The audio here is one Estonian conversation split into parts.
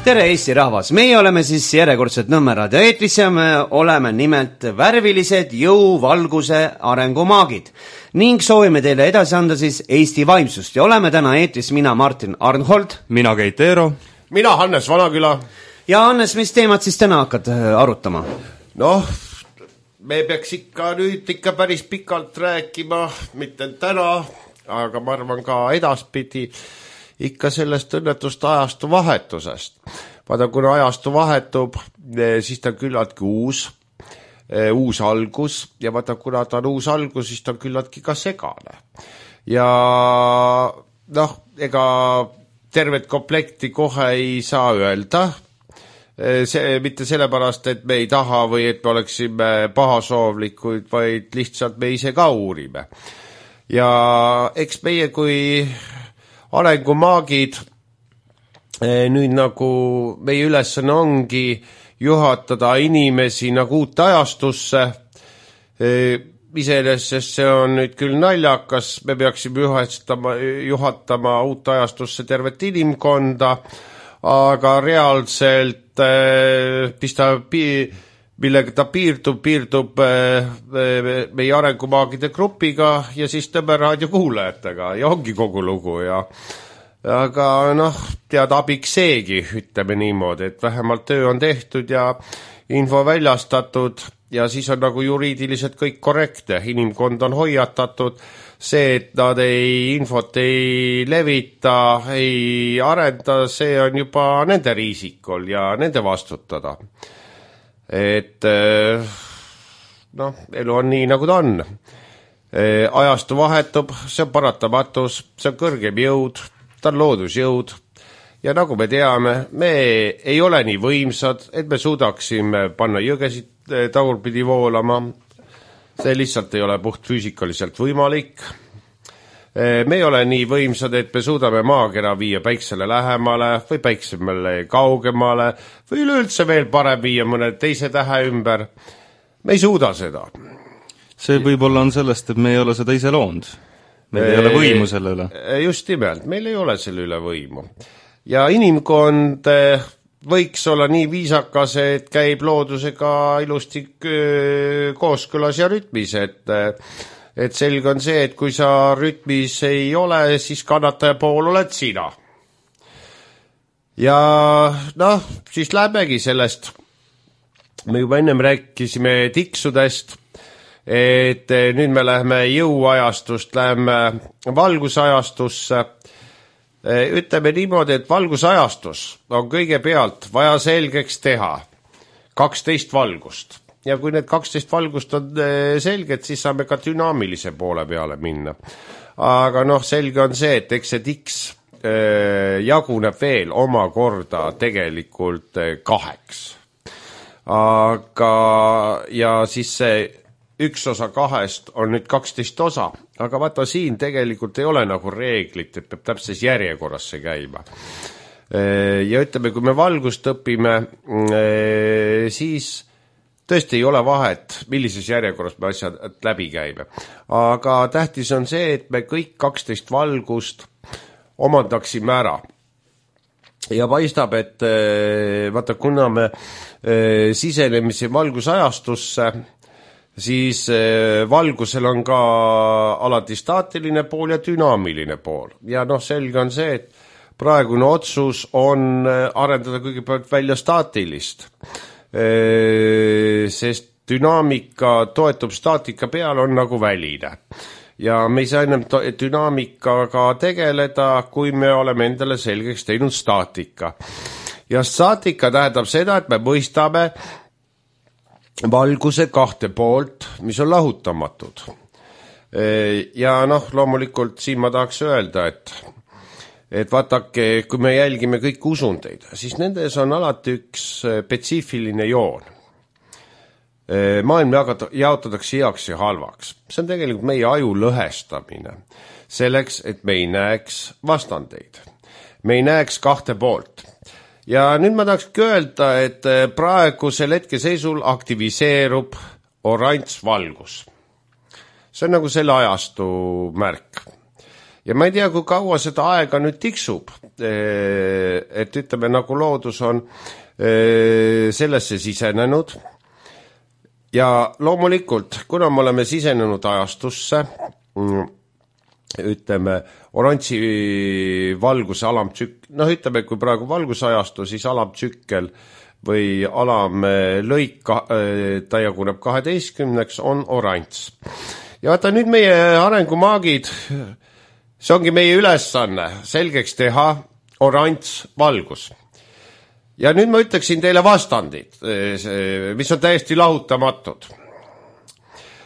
Tere Eesti rahvas, meie oleme siis järjekordselt Nõmme raadio eetris ja me oleme nimelt värvilised jõuvalguse arengumaagid ning soovime teile edasi anda siis Eesti vaimsust ja oleme täna eetris mina Martin Arnhold, mina Keit Eero, mina Hannes Vanaküla. Ja Hannes, mis teemad siis täna hakkad arutama? Noh, me peaks ikka päris pikalt rääkima, mitte täna, aga ma arvan ka edaspidi ikka sellest õnnetust ajastu vahetusest. Vaata, kuna ajastu vahetub, siis ta on küllaltki uus algus ja vaata, kuna ta on uus algus, siis ta on küllaltki ka segane. Ja noh, ega tervet komplekti kohe ei saa öelda, mitte sellepärast, et me ei taha või et me oleksime pahasoovlikuid, vaid lihtsalt me ise ka uurime. Ja eks meie kui arengumaagid, nüüd nagu meie ülesanne ongi juhatada inimesi nagu uute ajastusse. Iseenesest see on nüüd küll naljakas, me peaksime juhatama uute ajastusse tervet inimkonda, aga reaalselt millega ta piirdub meie arengumaagide grupiga ja siis Nõmme raadio kuulajatega ja ongi kogu lugu aga noh, tead abiks seegi, ütleme niimoodi, et vähemalt töö on tehtud ja info väljastatud ja siis on nagu juriidiliselt kõik korrektne, inimkond on hoiatatud, see, et nad infot ei levita, ei arenda, see on juba nende riisikol ja nende vastutada. Et noh, elu on nii nagu ta on. Ajastu vahetub, see on paratamatus, see on kõrgem jõud, ta on loodusjõud ja nagu me teame, me ei ole nii võimsad, et me suudaksime panna jõgesid tagurpidi voolama. See lihtsalt ei ole puht füüsikaliselt võimalik. Me ei ole nii võimsad, et me suudame maakera viia päiksele lähemale või päiksemale kaugemale või üleüldse veel parem viia mõne teise tähe ümber. Me ei suuda seda. See võib-olla on sellest, et me ei ole seda ise loonud. Meil ei ole võimu selle üle. Just nimelt, meil ei ole selle üle võimu. Ja inimkond võiks olla nii viisakas, et käib loodusega ilusti kooskõlas ja rütmis, et selge on see, et kui sa rütmis ei ole, siis kannataja pool oled sina. Ja noh, siis lähmegi sellest. Me juba ennem rääkisime tiksudest, et nüüd me läheme jõuajastust, läheme valgusajastusse. Ütleme niimoodi, et valgusajastus on kõigepealt vaja selgeks teha 12 valgust. Ja kui need 12 valgust on selged, siis saame ka dünaamilise poole peale minna. Aga noh, selge on see, et eks see tiks jaguneb veel omakorda tegelikult 2. Aga ja siis see üks osa 2 on nüüd 12 osa, aga vaata siin tegelikult ei ole nagu reeglit, et peab täpses järjekorras see käima. Ja ütleme, kui me valgust õpime, siis tõesti ei ole vahet, millises järjekorras me asjad läbi käime. Aga tähtis on see, et me kõik 12 valgust omandaksime ära. Ja paistab, et vaata, kuna me sisenemise valgusajastusse, siis valgusel on ka alati staatiline pool ja dünaamiline pool. Ja noh, selge on see, et praegune otsus on arendada kõigepealt välja staatilist. Sest dünaamika toetub staatika peale, on nagu väline. Ja me ei saa ennem dünaamikaga tegeleda, kui me oleme endale selgeks teinud staatika. Ja staatika tähendab seda, et me mõistame valguse 2 poolt, mis on lahutamatud. Ja noh, loomulikult siin ma tahaks öelda, et vaatake, kui me jälgime kõik usundeid, siis nendes on alati üks spetsiifiline joon. Maailm jaotatakse heaks ja halvaks. See on tegelikult meie aju lõhestamine. Selleks, et me ei näeks vastandeid. Me ei näeks 2 poolt. Ja nüüd ma tahakski öelda, et praegusel hetkeseisul aktiviseerub oranž valgus. See on nagu selle ajastu märk. ja ma ei tea, kui kaua seda aega nüüd tiksub, et ütleme, nagu loodus on sellesse sisenenud ja loomulikult, kuna me oleme sisenenud ajastusse, ütleme, oranži valguse alamtsükkel, ütleme, kui praegu valgusajastu, siis alamtsükkel või alamlõik, ta jaguneb 12, on oranž. Ja vaata, nüüd meie arengumaagid, see ongi meie ülesanne selgeks teha oranž valgus. Ja nüüd ma ütleksin teile vastandid, mis on täiesti lahutamatud.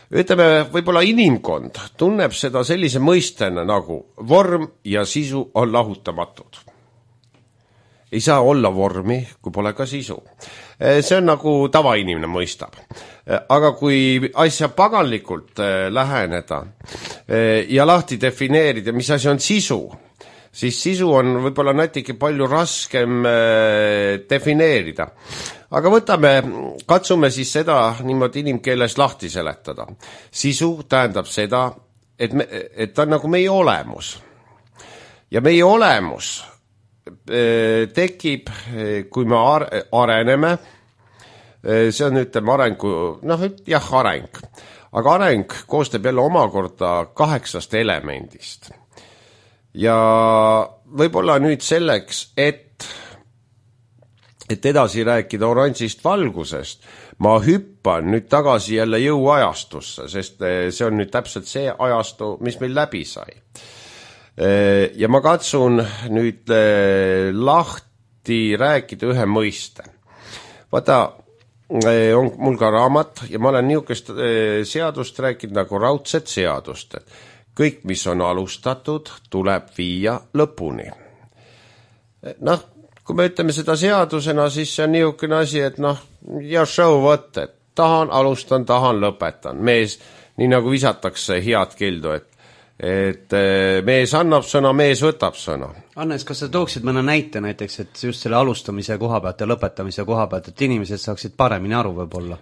Ütleme, võib-olla inimkond tunneb seda sellise mõistena nagu vorm ja sisu on lahutamatud. Ei saa olla vormi, kui pole ka sisu. See on nagu tavainimene mõistab. Aga kui asja paganlikult läheneda ja lahti defineerida, mis asi on sisu, siis sisu on võib-olla natuke palju raskem defineerida. Aga katsume siis seda niimoodi inimkeeles lahti seletada. Sisu tähendab seda, et ta on nagu meie olemus. Ja meie olemus tekib, kui me areneme, see on, ütleme, arengu, areng. Aga areng koostab jälle omakorda 8 elemendist. Ja võib-olla nüüd selleks, et edasi rääkida oranžist valgusest, ma hüppan nüüd tagasi jälle jõuajastusse, sest see on nüüd täpselt see ajastu, mis meil läbi sai. Ja ma katsun nüüd lahti rääkida ühe mõiste. Vaata, on mul ka raamat ja ma olen niisugust seadust rääkinud nagu raudset seadust, et kõik, mis on alustatud, tuleb viia lõpuni. Kui me ütleme seda seadusena, siis see on niisugune asi, et ja show võtt, et alustan, lõpetan. Mees, nii nagu visatakse head kildu, et mees annab sõna, mees võtab sõna. Annes, kas sa tooksid mõne näite näiteks, et just selle alustamise koha pealt ja lõpetamise koha pealt, et inimesed saaksid paremini aru võib-olla?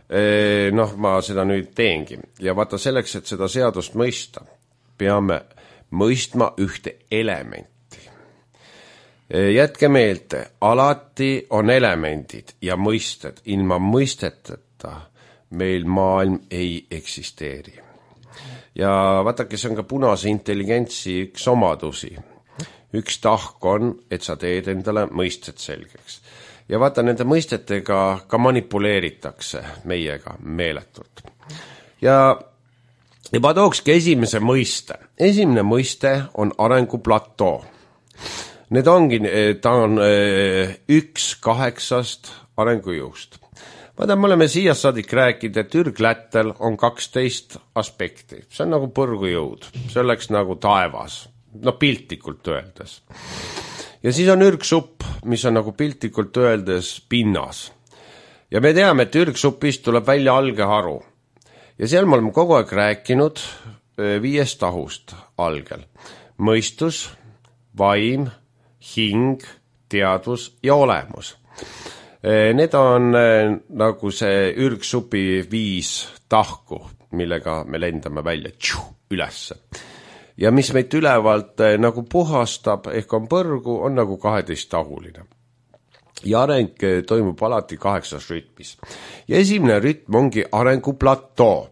Ma seda nüüd teengi. Ja vaata selleks, et seda seadust mõista, peame mõistma ühte elementi. Jätke meelde, alati on elemendid ja mõisted. Ilma mõisteteta meil maailm ei eksisteeri. Ja vaatake, see on ka punase intelligentsi üks omadusi. Üks tahk on, et sa teed endale mõisted selgeks. Ja vaata, nende mõistetega ka manipuleeritakse meiega meeletult. Ja ma tookski esimese mõiste. Esimene mõiste on arenguplatoo. Need ongi, ta on 1/8 arengujõust. Vaata, me oleme siia saadik rääkinud, et ürglättel on 12 aspekti. See on nagu põrgujõud. See oleks nagu taevas. Piltlikult öeldes. Ja siis on ürgsupp, mis on nagu piltlikult öeldes pinnas. Ja me teame, et ürgsupist tuleb välja algeharu. Ja seal me oleme kogu aeg rääkinud 5 tahust algel. Mõistus, vaim, hing, teadvus ja olemus. Need on nagu see ürgsupi 5 tahku, millega me lendame välja ülesse. Ja mis meid ülevalt nagu puhastab, ehk on põrgu, on nagu 12-tahuline. Ja areng toimub alati 8 rütmis. Ja esimene rütm ongi arenguplatoo.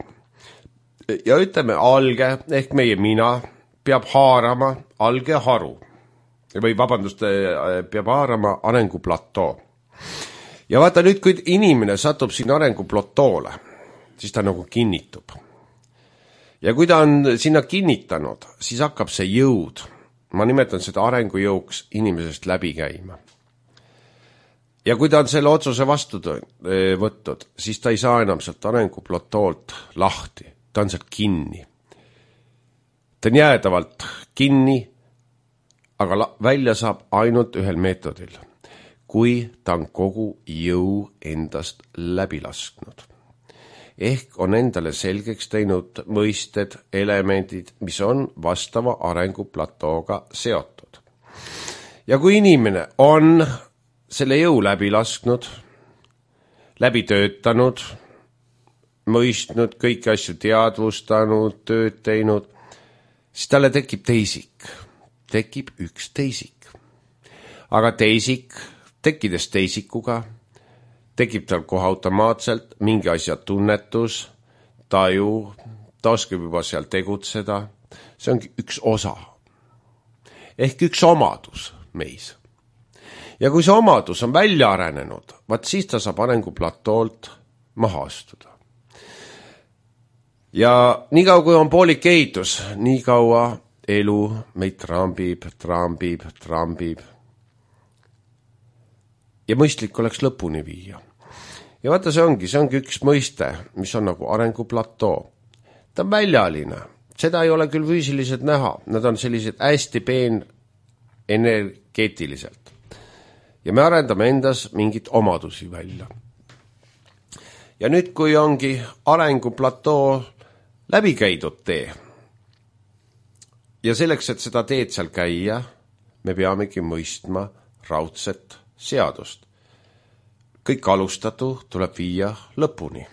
Ja ütleme, alge, ehk meie mina, peab haarama algeharu. Või vabandust, peab haarama arenguplatoo. Ja vaata nüüd, kui inimene satub siin arenguplatoole, siis ta nagu kinnitub. Ja kui ta on sinna kinnitanud, siis hakkab see jõud, ma nimetan seda arengujõuks, inimesest läbi käima. Ja kui ta on selle otsuse vastu võttud, siis ta ei saa enam sealt arenguplotoolt lahti, ta on sealt kinni. Ta on jäädavalt kinni, aga välja saab ainult ühel meetodil, kui ta on kogu jõu endast läbi lasknud. Ehk on endale selgeks teinud mõisted, elemendid, mis on vastava arenguplatooga seotud. Ja kui inimene on selle jõu läbi lasknud, läbi töötanud, mõistnud, kõiki asju teadvustanud, tööd teinud, siis talle tekib teisik. tekib üks teisik. Aga teisik, tekkides teisikuga, tekib tal kohe automaatselt mingi asja tunnetus, taju, ta oskab juba seal tegutseda. See ongi üks osa. Ehk üks omadus meis. Ja kui see omadus on välja arenenud, vaat siis ta saab arenguplatolt maha astuda. Ja nii kaua kui on poolik ehitus, nii kaua elu meid trambib. Ja mõistlik oleks lõpuni viia. Ja vaata, see ongi üks mõiste, mis on nagu arenguplatoo. Ta on väljaline. Seda ei ole küll füüsiliselt näha. Nad on sellised hästi energeetiliselt. Ja me arendame endas mingit omadusi välja. Ja nüüd, kui ongi arenguplatoo läbi käidud tee, ja selleks, et seda teed seal käia, me peamegi mõistma raudset seadust. Kõik alustatu tuleb viia lõpuni.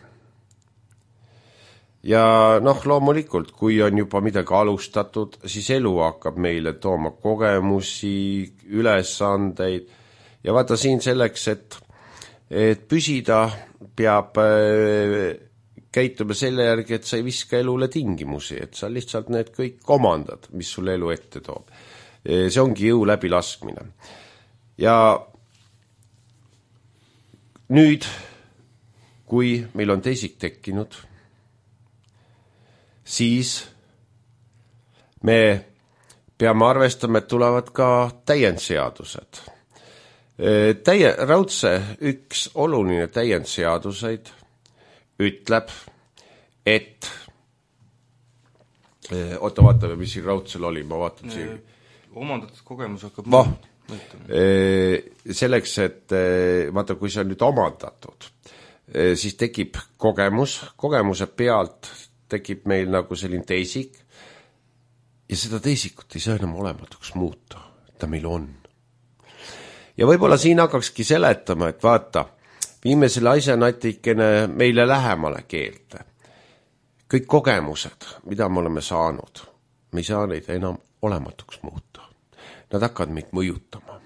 Ja loomulikult, kui on juba midagi alustatud, siis elu hakkab meile tooma kogemusi, ülesandeid. Ja vaata siin selleks, et püsida, peab käituma selle järgi, et sa ei viska elule tingimusi, et sa lihtsalt need kõik omandad, mis sulle elu ette toob. See ongi jõu läbilaskmine. Ja nüüd, kui meil on teisik tekkinud, siis me peame arvestama, et tulevad ka täiendseadused. Raudse üks oluline täiendseaduseid ütleb, et vaatame, mis siin raudsel oli, ma vaatan siin. Omandatud kogemus hakkab selleks, et vaata, kui see on nüüd omandatud, siis tekib kogemuse pealt tekib meil nagu selline teisik ja seda teisikut ei saa enam olematuks muuta, ta meil on. Ja võib-olla siin hakkakski seletama, et vaata, viime selle asja natikene meile lähemale keelte. Kõik kogemused, mida me oleme saanud, me ei saa neid enam olematuks muuta. Nad hakkavad meid mõjutama.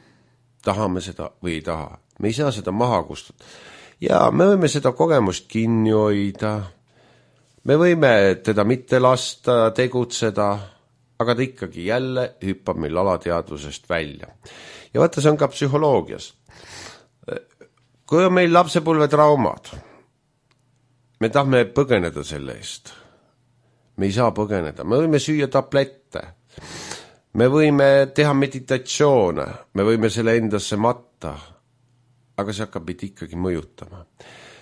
Tahame seda või ei taha. Me ei saa seda maha kustuda. Ja me võime seda kogemust kinni hoida. Me võime teda mitte lasta tegutseda, aga ta ikkagi jälle hüppab meil alateadvusest välja. Ja vaata, see on ka psühholoogias. Kui on meil lapsepõlve traumad, me tahame põgeneda selle eest. Me ei saa põgeneda. Me võime süüa tablette. Me võime teha meditatsioone. Me võime selle endasse matta. Aga see hakkab meid ikkagi mõjutama.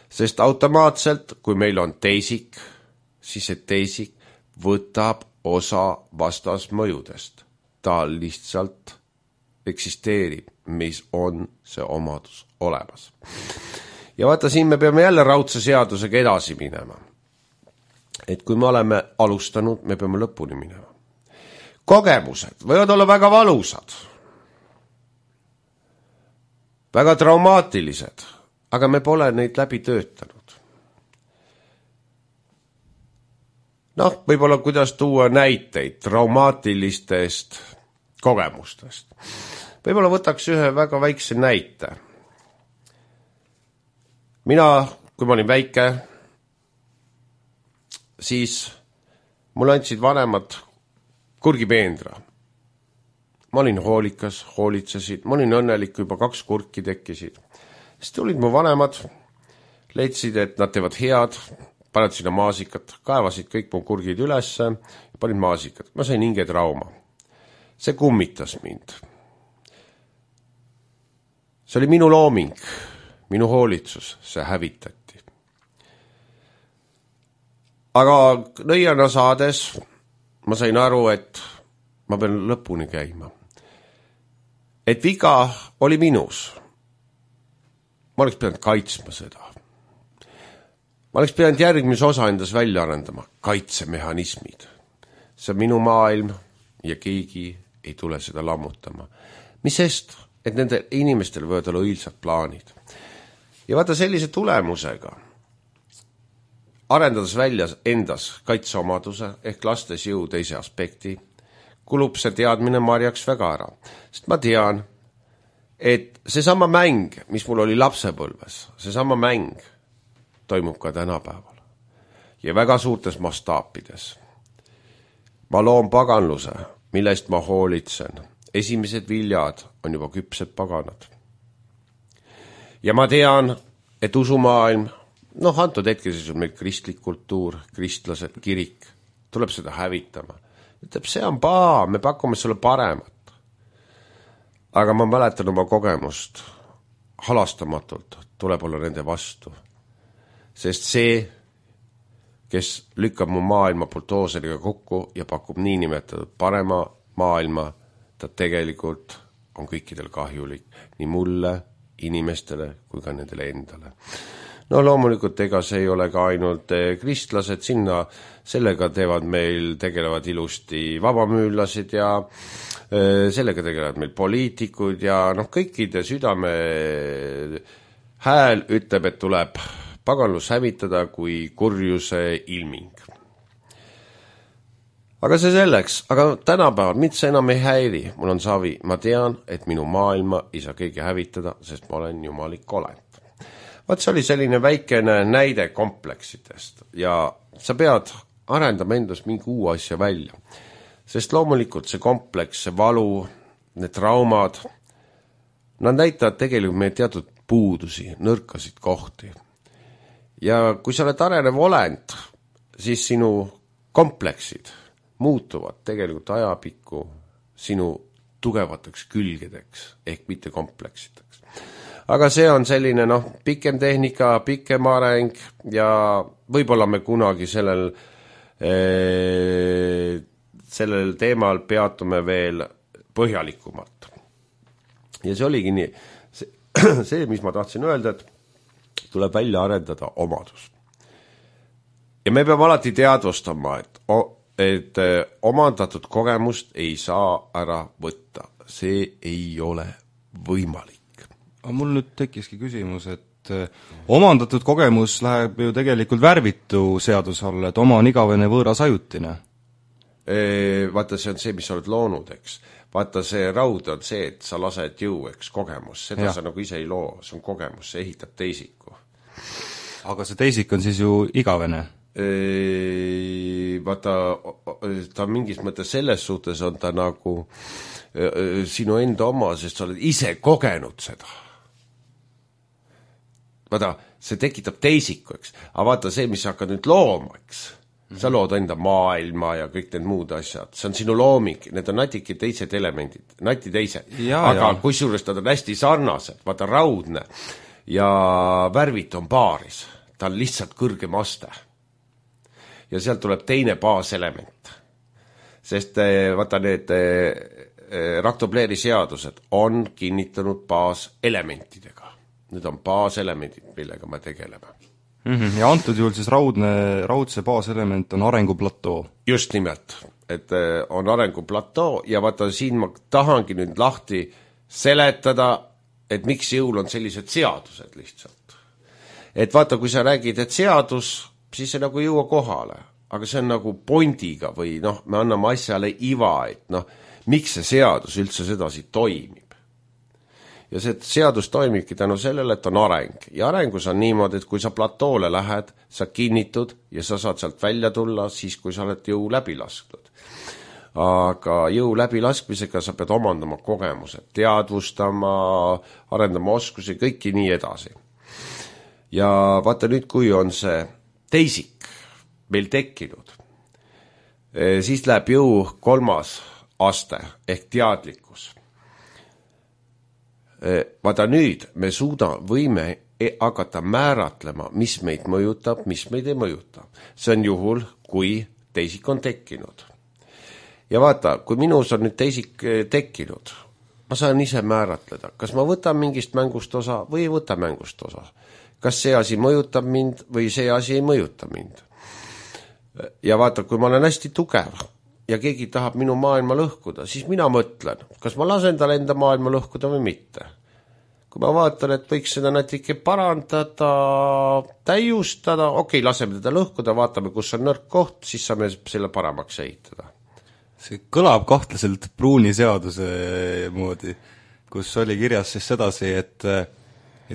Sest automaatselt, kui meil on teisik, siis see teisik võtab osa vastasmõjudest. Ta lihtsalt eksisteerib, mis on see omadus olemas. Ja vaata, siin me peame jälle raudse seadusega edasi minema. Et kui me oleme alustanud, me peame lõpuni minema. Kogemused võivad olla väga valusad, väga traumaatilised, aga me pole neid läbi töötanud. Võib-olla kuidas tuua näiteid traumaatilistest kogemustest. Võib-olla võtaks ühe väga väikse näite. Mina, kui ma olin väike, siis mulle andsid vanemad kurgipeendra. Ma olin hoolikas, hoolitsesid, ma olin õnnelik, juba 2 kurki tekkisid. Siis tulid mu vanemad, leidsid, et nad teevad head, paned sinna maasikat, kaevasid kõik mu kurgid ülesse ja panid maasikat. Ma sain hingetrauma. See kummitas mind. See oli minu looming, minu hoolitsus, see hävitati. Aga nõiana saades ma sain aru, et ma pean lõpuni käima. Et viga oli minus. Ma oleks pidanud kaitsma seda. Ma oleks pidanud järgmise osa endas välja arendama, kaitsemehhanismid. See on minu maailm ja keegi ei tule seda lammutama. Mis sest, et nende inimestel võivad olla õilsad plaanid. Ja vaata sellise tulemusega, arendades välja endas kaitseomaduse ehk lastes jõu teise aspekti, kulub see teadmine marjaks väga ära. Sest ma tean, et seesama mäng, mis mul oli lapsepõlves, seesama mäng toimub ka tänapäeval. Ja väga suurtes mastaapides. Ma loon paganluse, millest ma hoolitsen. Esimesed viljad on juba küpsed paganad. Ja ma tean, et usumaailm, antud hetkel siis on meil kristlik kultuur, kristlased, kirik, tuleb seda hävitama. Ütleb, see on paa, me pakume sulle paremat. Aga ma mäletan oma kogemust halastamatult, tuleb olla nende vastu. Sest see, kes lükkab mu maailma buldooseriga kokku ja pakub niinimetatud parema maailma, ta tegelikult on kõikidel kahjulik, nii mulle, inimestele kui ka nendele endale. Loomulikult ega see ei ole ka ainult kristlased, sellega tegelevad ilusti vabamüüllased ja sellega tegelevad meil poliitikud ja kõikide südame hääl ütleb, et tuleb paganlus hävitada kui kurjuse ilming. Aga see selleks, aga tänapäeval mind see enam ei häiri, mul on savi, ma tean, et minu maailma ei saa keegi hävitada, sest ma olen jumalik olend. Vaat see oli selline väikene näide kompleksidest ja sa pead arendama endast mingi uue asja välja, sest loomulikult see kompleks, see valu, need traumad, nad näitavad tegelikult meie teatud puudusi, nõrkasid kohti. Ja kui sa oled arenev olend, siis sinu kompleksid muutuvad tegelikult ajapikku sinu tugevateks külgedeks ehk mitte kompleksideks. Aga see on selline pikem tehnika, pikem areng ja võib-olla me kunagi sellel teemal peatume veel põhjalikumalt. Ja see oligi nii, see, mis ma tahtsin öelda, et tuleb välja arendada omadus. Ja me peame alati teadvustama, et omandatud kogemust ei saa ära võtta. See ei ole võimalik. Aga mul nüüd tekkiski küsimus, et omandatud kogemus läheb ju tegelikult värvitu seaduse alla, et oma on igavene võõras ajutine. Vaata, see on see, mis sa oled loonud, eks. Vaata, see raud on see, et sa lased jõu, eks, kogemus. Seda sa nagu ise ei loo, see on kogemus, see ehitab teisiku. Aga see teisik on siis ju igavene? Vaata, ta mingis mõttes selles suhtes on ta nagu sinu enda oma, sest sa oled ise kogenud seda. Vaata, see tekitab teisiku, eks. Aga vaata see, mis sa hakkad nüüd looma, eks. Sa lood enda maailma ja kõik need muud asjad. See on sinu looming, need on natiki teised elemendid, nati teised. Aga kui suures ta on hästi sarnased, vaata raudne ja värvit on paaris. Ta on lihtsalt kõrgem aste. Ja sealt tuleb teine baaselement. Sest vaata need Raktobleri seadused on kinnitanud baaselementidega. Need on baaselemendid, millega me tegeleme. Ja antud juhul siis raudse baaselement on arenguplatoo. Just nimelt, et on arenguplatoo ja vaata siin ma tahangi nüüd lahti seletada, et miks jõul on sellised seadused lihtsalt. Et vaata, kui sa räägid, et seadus, siis see nagu jõua kohale, aga see on nagu pondiga või me anname asjale iva, et miks see seadus üldse sedasi toimib. Ja see seadus toimibki tänu sellele, et on areng. Ja arengus on niimoodi, et kui sa platoole lähed, sa kinnitud ja sa saad sealt välja tulla siis, kui sa oled jõu läbi lasknud. Aga jõu läbi laskmisega sa pead omandama kogemused, teadvustama, arendama oskusi, kõiki nii edasi. Ja vaata nüüd, kui on see teisik meil tekkinud, siis läheb jõu 3. aste ehk teadlikkus. Vaata nüüd me võime hakata määratlema, mis meid mõjutab, mis meid ei mõjuta. See on juhul, kui teisik on tekkinud. Ja vaata, kui minus on nüüd teisik tekkinud, ma saan ise määratleda, kas ma võtan mingist mängust osa või ei võta mängust osa. Kas see asi mõjutab mind või see asi ei mõjuta mind. Ja vaata, kui ma olen hästi tugev ja keegi tahab minu maailma lõhkuda, siis mina mõtlen, kas ma lasen tal enda maailma lõhkuda või mitte. Kui ma vaatan, et võiks seda natuke parandada, täiustada, laseme teda lõhkuda, vaatame, kus on nõrk koht, siis saame selle paremaks ehitada. see kõlab kahtlaselt Pruuni seaduse moodi, kus oli kirjas siis sedasi, et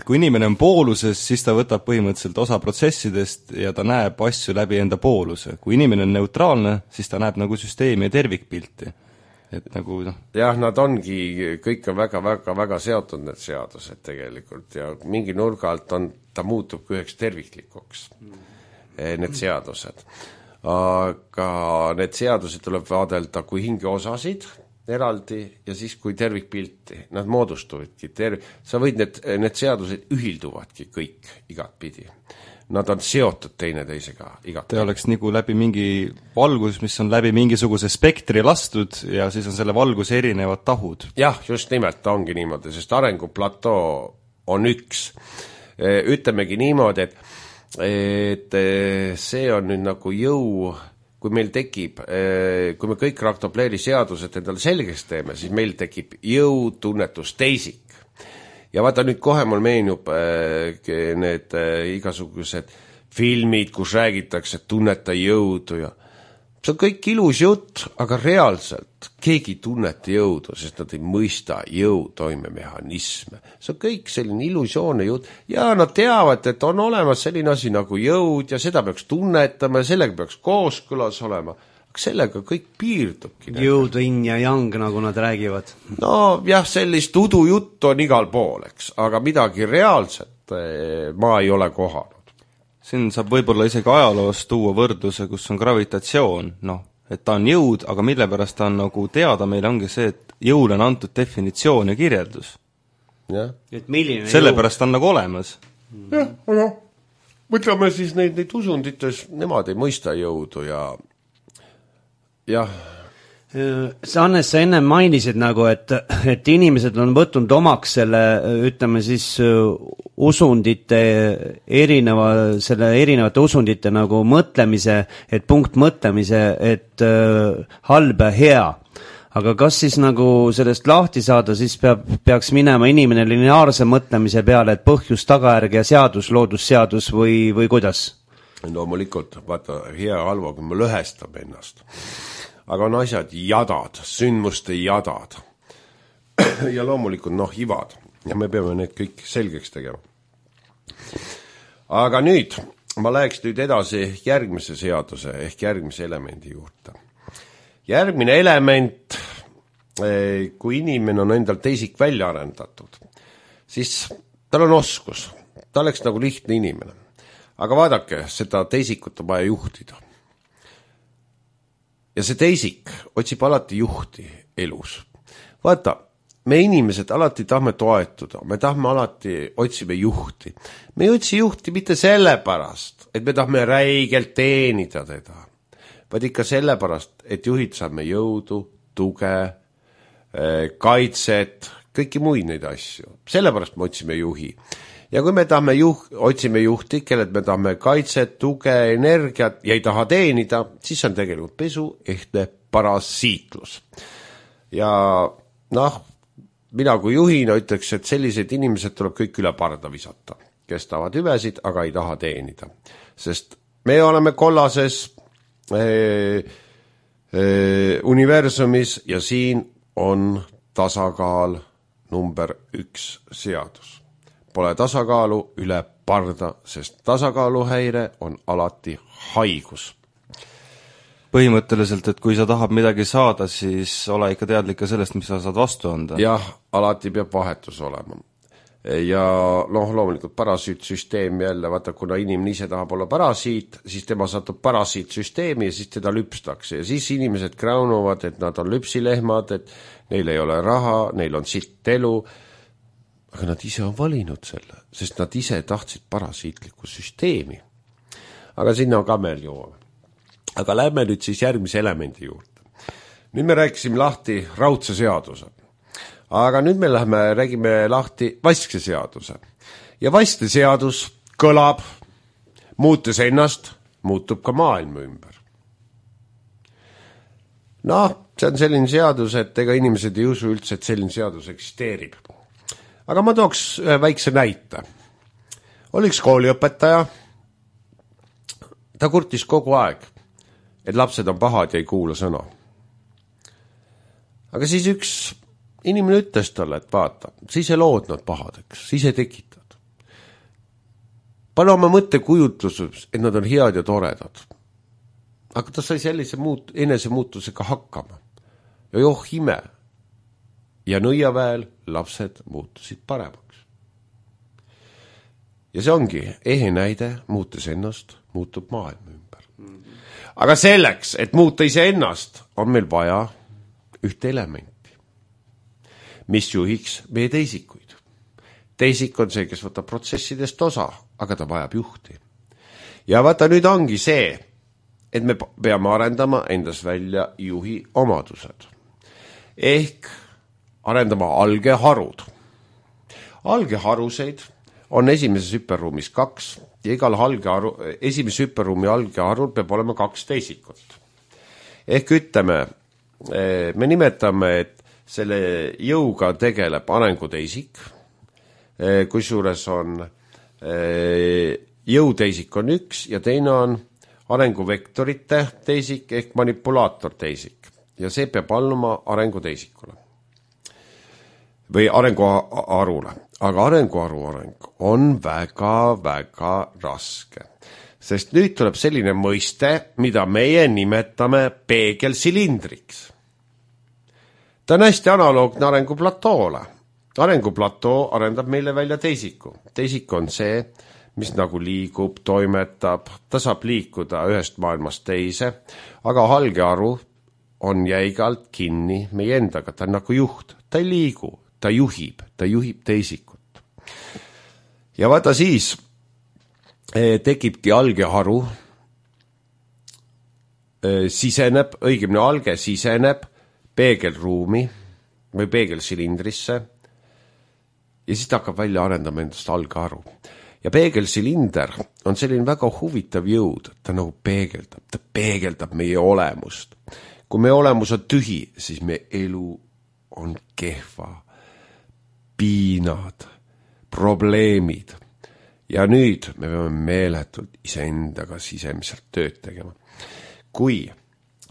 kui inimene on pooluses, siis ta võtab põhimõtteliselt osa protsessidest ja ta näeb asju läbi enda pooluse. Kui inimene on neutraalne, siis ta näeb nagu süsteemi ja tervikpilti. Et nagu jah, nad ongi, kõik on väga seotud need seadused tegelikult ja mingi nurga alt ta muutub üheks terviklikuks, need seadused. Aga need seadused tuleb vaadelda kui hingeosasid eraldi ja siis kui tervikpilti. Nad moodustuvadki sa võid need seadused ühilduvadki kõik igatpidi. Nad on seotud teineteisega igatpidi. Ta oleks nagu läbi mingi valgus, mis on läbi mingisuguse spektri lastud ja siis on selle valguse erinevad tahud. Jah, just nimelt ta ongi niimoodi, sest arenguplatoo on üks. Ütlemegi niimoodi, et see on nüüd nagu jõu, kui meil tekib, kui me kõik raktopleeri seadused endale selgeks teeme, siis meil tekib jõutunnetus teisik. Ja vaata nüüd kohe mul meenub need igasugused filmid, kus räägitakse, et tunneta jõudu ja see on kõik ilus jutt, aga reaalselt keegi tunneta jõudu, sest nad ei mõista jõu toimemehhanisme. See on kõik selline illusioonne jutt ja nad teavad, et on olemas selline asi nagu jõud ja seda peaks tunnetama ja sellega peaks kooskõlas olema. Aga sellega kõik piirdubki. Jõud, yin ja yang, nagu nad räägivad. No jah, sellist udujuttu on igal pool, eks, aga midagi reaalset ma ei ole kohanud. Siin saab võib-olla isegi ajaloost tuua võrdluse, kus on gravitatsioon, et ta on jõud, aga mille pärast ta on nagu teada, meil ongi see, et jõule on antud definitsioon ja kirjeldus. Ja. Et milline sellepärast on nagu olemas. Jah, aga mõtleme siis neid usundites, nemad ei mõista jõudu ja Hannes, sa enne mainisid nagu, et inimesed on võtnud omaks selle, ütleme siis, usundite erinevate usundite nagu mõtlemise, et punkt mõtlemise, et halb ja hea. Aga kas siis nagu sellest lahti saada, siis peaks minema inimene lineaarse mõtlemise peale, et põhjus, tagajärg ja seadus, loodusseadus või kuidas? Loomulikult, vaata, hea halva, kui me lõhestame ennast. Aga on asjad jadad, sündmuste jadad. Ja loomulikult, ivad. Ja me peame need kõik selgeks tegema. Aga nüüd, ma läheks nüüd edasi järgmise seaduse ehk järgmise elemendi juurde. Järgmine element, kui inimene on endal teisik välja arendatud, siis tal on oskus. Ta oleks nagu lihtne inimene. Aga vaadake, seda teisikut on vaja juhtida. Ja see teisik otsib alati juhti elus. Vaata, me inimesed alati tahame toetuda, me tahame alati otsime juhti. Me ei otsi juhti mitte sellepärast, et me tahame räigelt teenida teda, vaid ikka sellepärast, et juhid saame jõudu, tuge, kaitset, kõiki muid neid asju. Sellepärast me otsime juhi. Ja kui me tahame otsime juhti, kellelt me tahame kaitset, tuge, energiat ja ei taha teenida, siis on tegelikult pesu ehtne parasiitlus. Ja mina kui juhina ütleks, et sellised inimesed tuleb kõik üle parda visata, kes tahavad hüvesid, aga ei taha teenida. Sest me oleme kollases universumis ja siin on tasakaal number 1 seadus. Pole tasakaalu üle parda, sest tasakaaluhäire on alati haigus. Põhimõtteliselt, et kui sa tahad midagi saada, siis ole ikka teadlik ka sellest, mis sa saad vastu anda. Jah, alati peab vahetus olema. Ja loomulikult parasiitsüsteem jälle, vaata, kuna inimene ise tahab olla parasiit, siis tema satub parasiitsüsteemi ja siis teda lüpstakse. Ja siis inimesed kraunuvad, et nad on lüpsilehmad, et neil ei ole raha, neil on sitt elu. Aga nad ise on valinud selle, sest nad ise tahtsid parasiitlikku süsteemi. Aga sinna ka meil jõuame. Aga lähme nüüd siis järgmise elemendi juurde. Nüüd me rääkisime lahti raudse seaduse. Aga nüüd me räägime lahti vaskse seaduse. Ja vaskse seadus kõlab, muutes ennast, muutub ka maailma ümber. See on selline seadus, et ega inimesed ei usu üldse, et selline seadus eksisteerib. Aga ma tooks ühe väikse näite. Oli üks kooliõpetaja, ta kurtis kogu aeg, et lapsed on pahad ja ei kuula sõna. aga siis üks inimene ütles talle, et vaata, siis ei lood nad pahadeks, siis ei tekitad. Pane oma mõttekujutluses, et nad on head ja toredad. Aga ta sai sellise enesemuutusega hakkama. Ja joh ime. Ja Nõiaväel lapsed muutusid paremaks. Ja see ongi ehe näide, muutes ennast, muutub maailma ümber. Aga selleks, et muuta iseennast, on meil vaja ühte elementi, mis juhiks meie teisikuid. Teisik on see, kes võtab protsessidest osa, aga ta vajab juhti. Ja vaata, nüüd ongi see, et me peame arendama endas välja juhi omadused. Ehk arendama algeharud. Algeharuseid on esimeses hüperruumis 2 ja igal esimese hüperruumi algeharul peab olema 2 teisikut. Ehk ütleme, me nimetame, et selle jõuga tegeleb arenguteisik, kusjuures on jõuteisik on 1 ja teine on arenguvektorite teisik ehk manipulaator teisik ja see peab alluma arenguteisikule või arenguharule. Aga arenguharu areng on väga-väga raske, sest nüüd tuleb selline mõiste, mida meie nimetame peegelsilindriks. Ta on hästi analoogne arenguplatoole. Arenguplatoo arendab meile välja teisiku. Teisik on see, mis nagu liigub, toimetab, ta saab liikuda ühest maailmast teise, aga algeharu on jäigalt kinni meie endaga, ta on nagu juht, ta ei liigu, ta juhib teisikut. Ja vaata siis tekibki algeharu, siseneb, õigemini alge siseneb peegelruumi või peegelsilindrisse ja siis ta hakkab välja arendama endast algeharu. Ja peegelsilinder on selline väga huvitav jõud, ta nagu peegeldab meie olemust. Kui meie olemus on tühi, siis meie elu on kehva, piinad, probleemid. Ja nüüd me peame meeletult iseendaga sisemiselt tööd tegema. Kui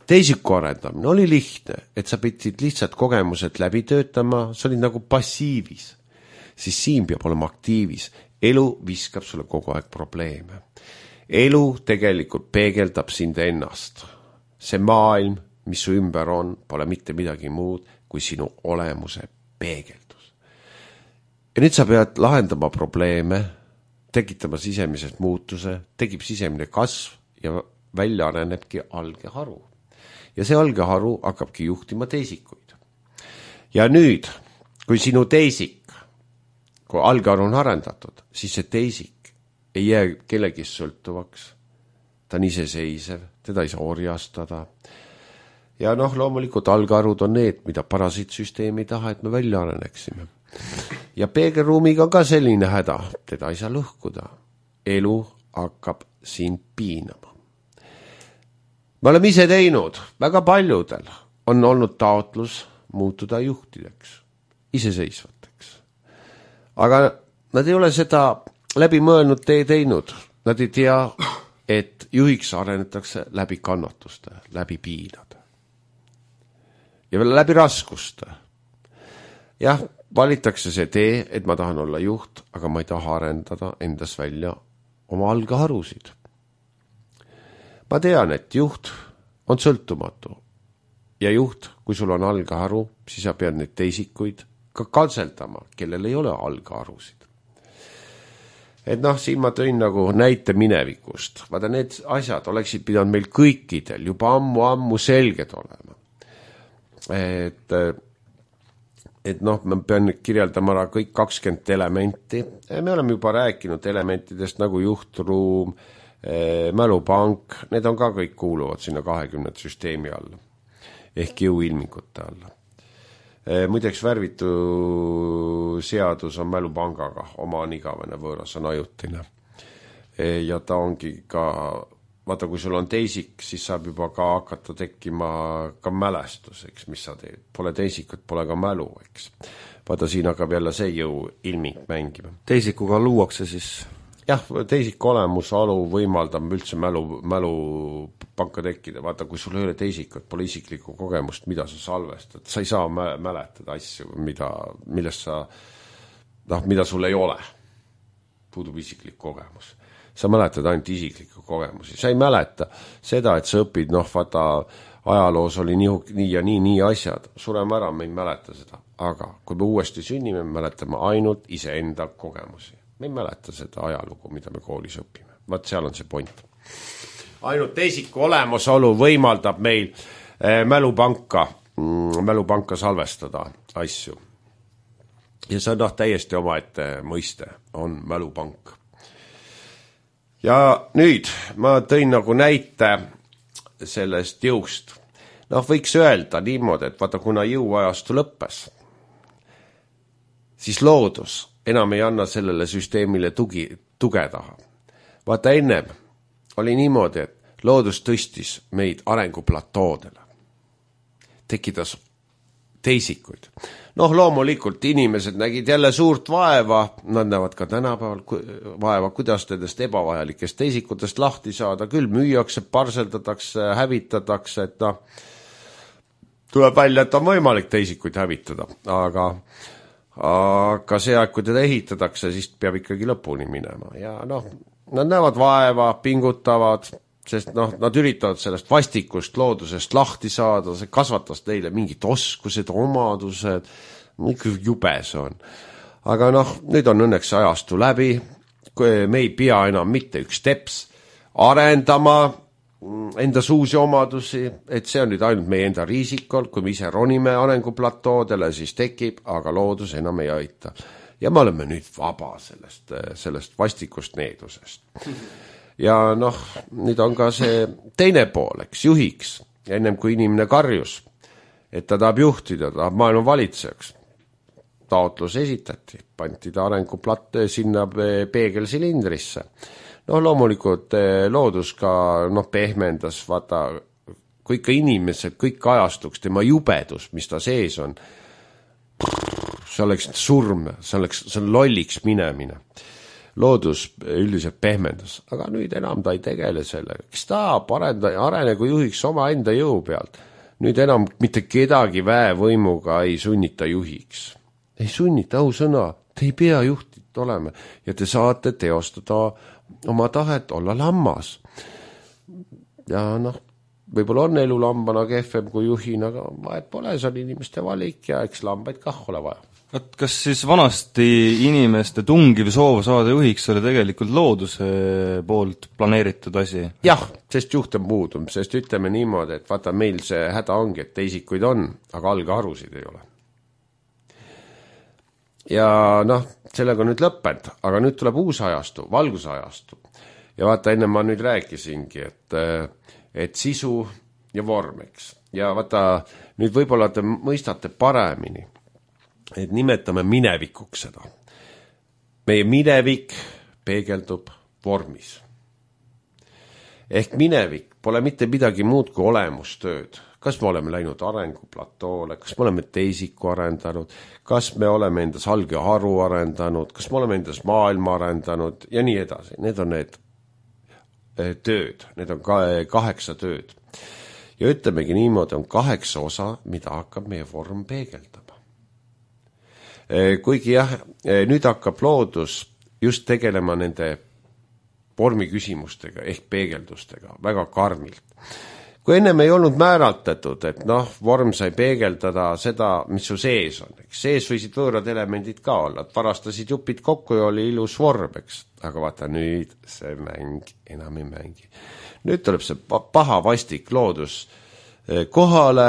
teisiku arendamine oli lihtne, et sa pidid lihtsalt kogemused läbi töötama, see oli nagu passiivis, siis siin peab olema aktiivis. Elu viskab sulle kogu aeg probleeme. Elu tegelikult peegeldab sind ennast. See maailm, mis su ümber on, pole mitte midagi muud kui sinu olemuse peegeldus. Ja nüüd sa pead lahendama probleeme, tekitama sisemised muutuse, tekib sisemine kasv ja välja arenebki algeharu. Ja see algeharu hakkabki juhtima teisikuid. Ja nüüd, kui sinu teisik, kui algeharu on arendatud, siis see teisik ei jää kellegist sõltuvaks. Ta on iseseisev, teda ei saa orjastada. Ja loomulikult algeharud on need, mida parasiitsüsteemi ei taha, et me välja areneksime. Ja peegelruumiga on ka selline häda, teda ei saa lõhkuda. Elu hakkab sind piinama. Me oleme ise teinud, väga paljudel on olnud taotlus muutuda juhtideks, iseseisvateks. Aga nad ei ole seda läbi mõelnud teinud. Nad ei tea, et juhiks arenetakse läbi kannatuste, läbi piinade. Ja veel läbi raskuste. Jah, valitakse see tee, et ma tahan olla juht, aga ma ei taha arendada endas välja oma algeharusid. Ma tean, et juht on sõltumatu. Ja juht, kui sul on algeharu, siis sa pead neid teisikuid ka katseldama, kellel ei ole algeharusid. Et siin ma tõin nagu näite minevikust. Vaata, need asjad oleksid pidanud meil kõikidel juba ammu selged olema. Et ma pean kirjeldama ära kõik 20 elementi. Me oleme juba rääkinud elementidest nagu juhtruum, mälupank, need on ka kõik kuuluvad sinna 20 süsteemi alla. Ehk jõuilmingute alla. Muideks värvitu seadus on mälupangaga, oma on igavene, võõras on ajutine. Ja ta ongi ka, vaata kui sul on teisik, siis saab juba ka hakata tekkima ka mälestus, eks, mis sa teed. Pole teisikut, pole ka mälu, eks. Vaata siin hakkab jälle see jõu ilming mängima. Teisikuga luuakse siis jah, teisiku olemusolu võimaldab üldse mälupanka tekkida. Vaata, kui sul ei ole teisikut, pole isiklikku kogemust, mida sa salvestad, sa ei saa mäletada asju, mida sul ei ole. Puudub isiklik kogemus. Sa mäletad ainult isiklikku kogemusi. Sa ei mäleta seda, et sa õpid, vaata, ajaloos oli nii ja nii asjad. Sureme ära, me ei mäleta seda. Aga kui me uuesti sünnime, me mäletame ainult iseenda kogemusi. Me ei mäleta seda ajalugu, mida me koolis õpime. Vaat seal on see point. Ainult teisiku olemasolu võimaldab meil mälupanka salvestada asju. Ja see on täiesti omaette mõiste, on mälupank. Ja nüüd ma tõin nagu näite sellest jõust. Võiks öelda niimoodi, et vaata, kuna jõuajastu lõppes, siis loodus enam ei anna sellele süsteemile tuge taha. Vaata, ennem oli niimoodi, et loodus tõstis meid arenguplatoodele. Tekitas teisikuid. Loomulikult inimesed nägid jälle suurt vaeva, nad näevad ka tänapäeval vaeva, kuidas nendest ebavajalikest teisikutest lahti saada, küll müüakse, parseldatakse, hävitatakse, et tuleb välja, et on võimalik teisikuid hävitada, aga see aeg, kui teda ehitatakse, siis peab ikkagi lõpuni minema ja nad näevad vaeva, pingutavad, sest nad üritavad sellest vastikust loodusest lahti saada, see kasvatas neile mingid oskused, omadused, jube see on. Aga nüüd on õnneks ajastu läbi, me ei pea enam mitte üks teps arendama endas uusi omadusi, et see on nüüd ainult meie enda riisikol, kui me ise ronime arenguplatoodele, siis tekib, aga loodus enam ei aita. Ja me oleme nüüd vaba sellest vastikust needusest. Ja nüüd on ka see teine pool, juhiks, ennem kui inimene karjus, et ta tahab juhtida, tahab maailma valitsejaks. Taotlus esitati, panti ta arenguplatt sinna peegelsilindrisse. Loomulikult loodus ka pehmendas, vaata, kui ikka inimesed kõik ajastuks, tema jubedus, mis ta sees on, see oleks surm, see on lolliks minemine. Loodus üldiselt pehmendas, aga nüüd enam ta ei tegele sellega. Kes tahab arenegu juhiks oma enda jõu pealt. Nüüd enam mitte kedagi väevõimuga ei sunnita juhiks. Ei sunnita, sõna, te ei pea juhtid olema ja te saate teostada oma tahet, olla lammas. Ja võib-olla on elu lambana kehvem kui juhin, aga vahet pole, see on inimeste valik ja eks lambaid kah ole vaja. Kas siis vanasti inimeste tungiv soov saada juhiks oli tegelikult looduse poolt planeeritud asi? Jah, sest juht on puudum, sest ütleme niimoodi, et vaata meil see häda ongi, et teisikuid on, aga algharusid ei ole. Ja sellega on nüüd lõppend, aga nüüd tuleb uus ajastu, valgusajastu. Ja vaata, enne ma nüüd rääkisingi, et sisu ja vorm, eks. Ja vaata, nüüd võib-olla te mõistate paremini, et nimetame minevikuks seda. Meie minevik peegeldub vormis. Ehk minevik pole mitte midagi muud kui olemustööd. Kas me oleme läinud arenguplatoole, kas me oleme teisiku arendanud, kas me oleme endas alg ja haru arendanud, kas me oleme endas maailma arendanud ja nii edasi. Need on need tööd, need on 8 tööd. Ja ütlemegi niimoodi, on 8 osa, mida hakkab meie vorm peegeldama. Kuigi jah, nüüd hakkab loodus just tegelema nende vormi küsimustega ehk peegeldustega väga karmilt. Kui ennem ei olnud määratletud, et vorm sai peegeldada seda, mis su sees on. Sees võisid võõrad elemendid ka olla, et varastasid jupid kokku ja oli ilus vorm, eks. Aga vaata nüüd see mäng enam ei mängi. Nüüd tuleb see paha vastik loodus kohale.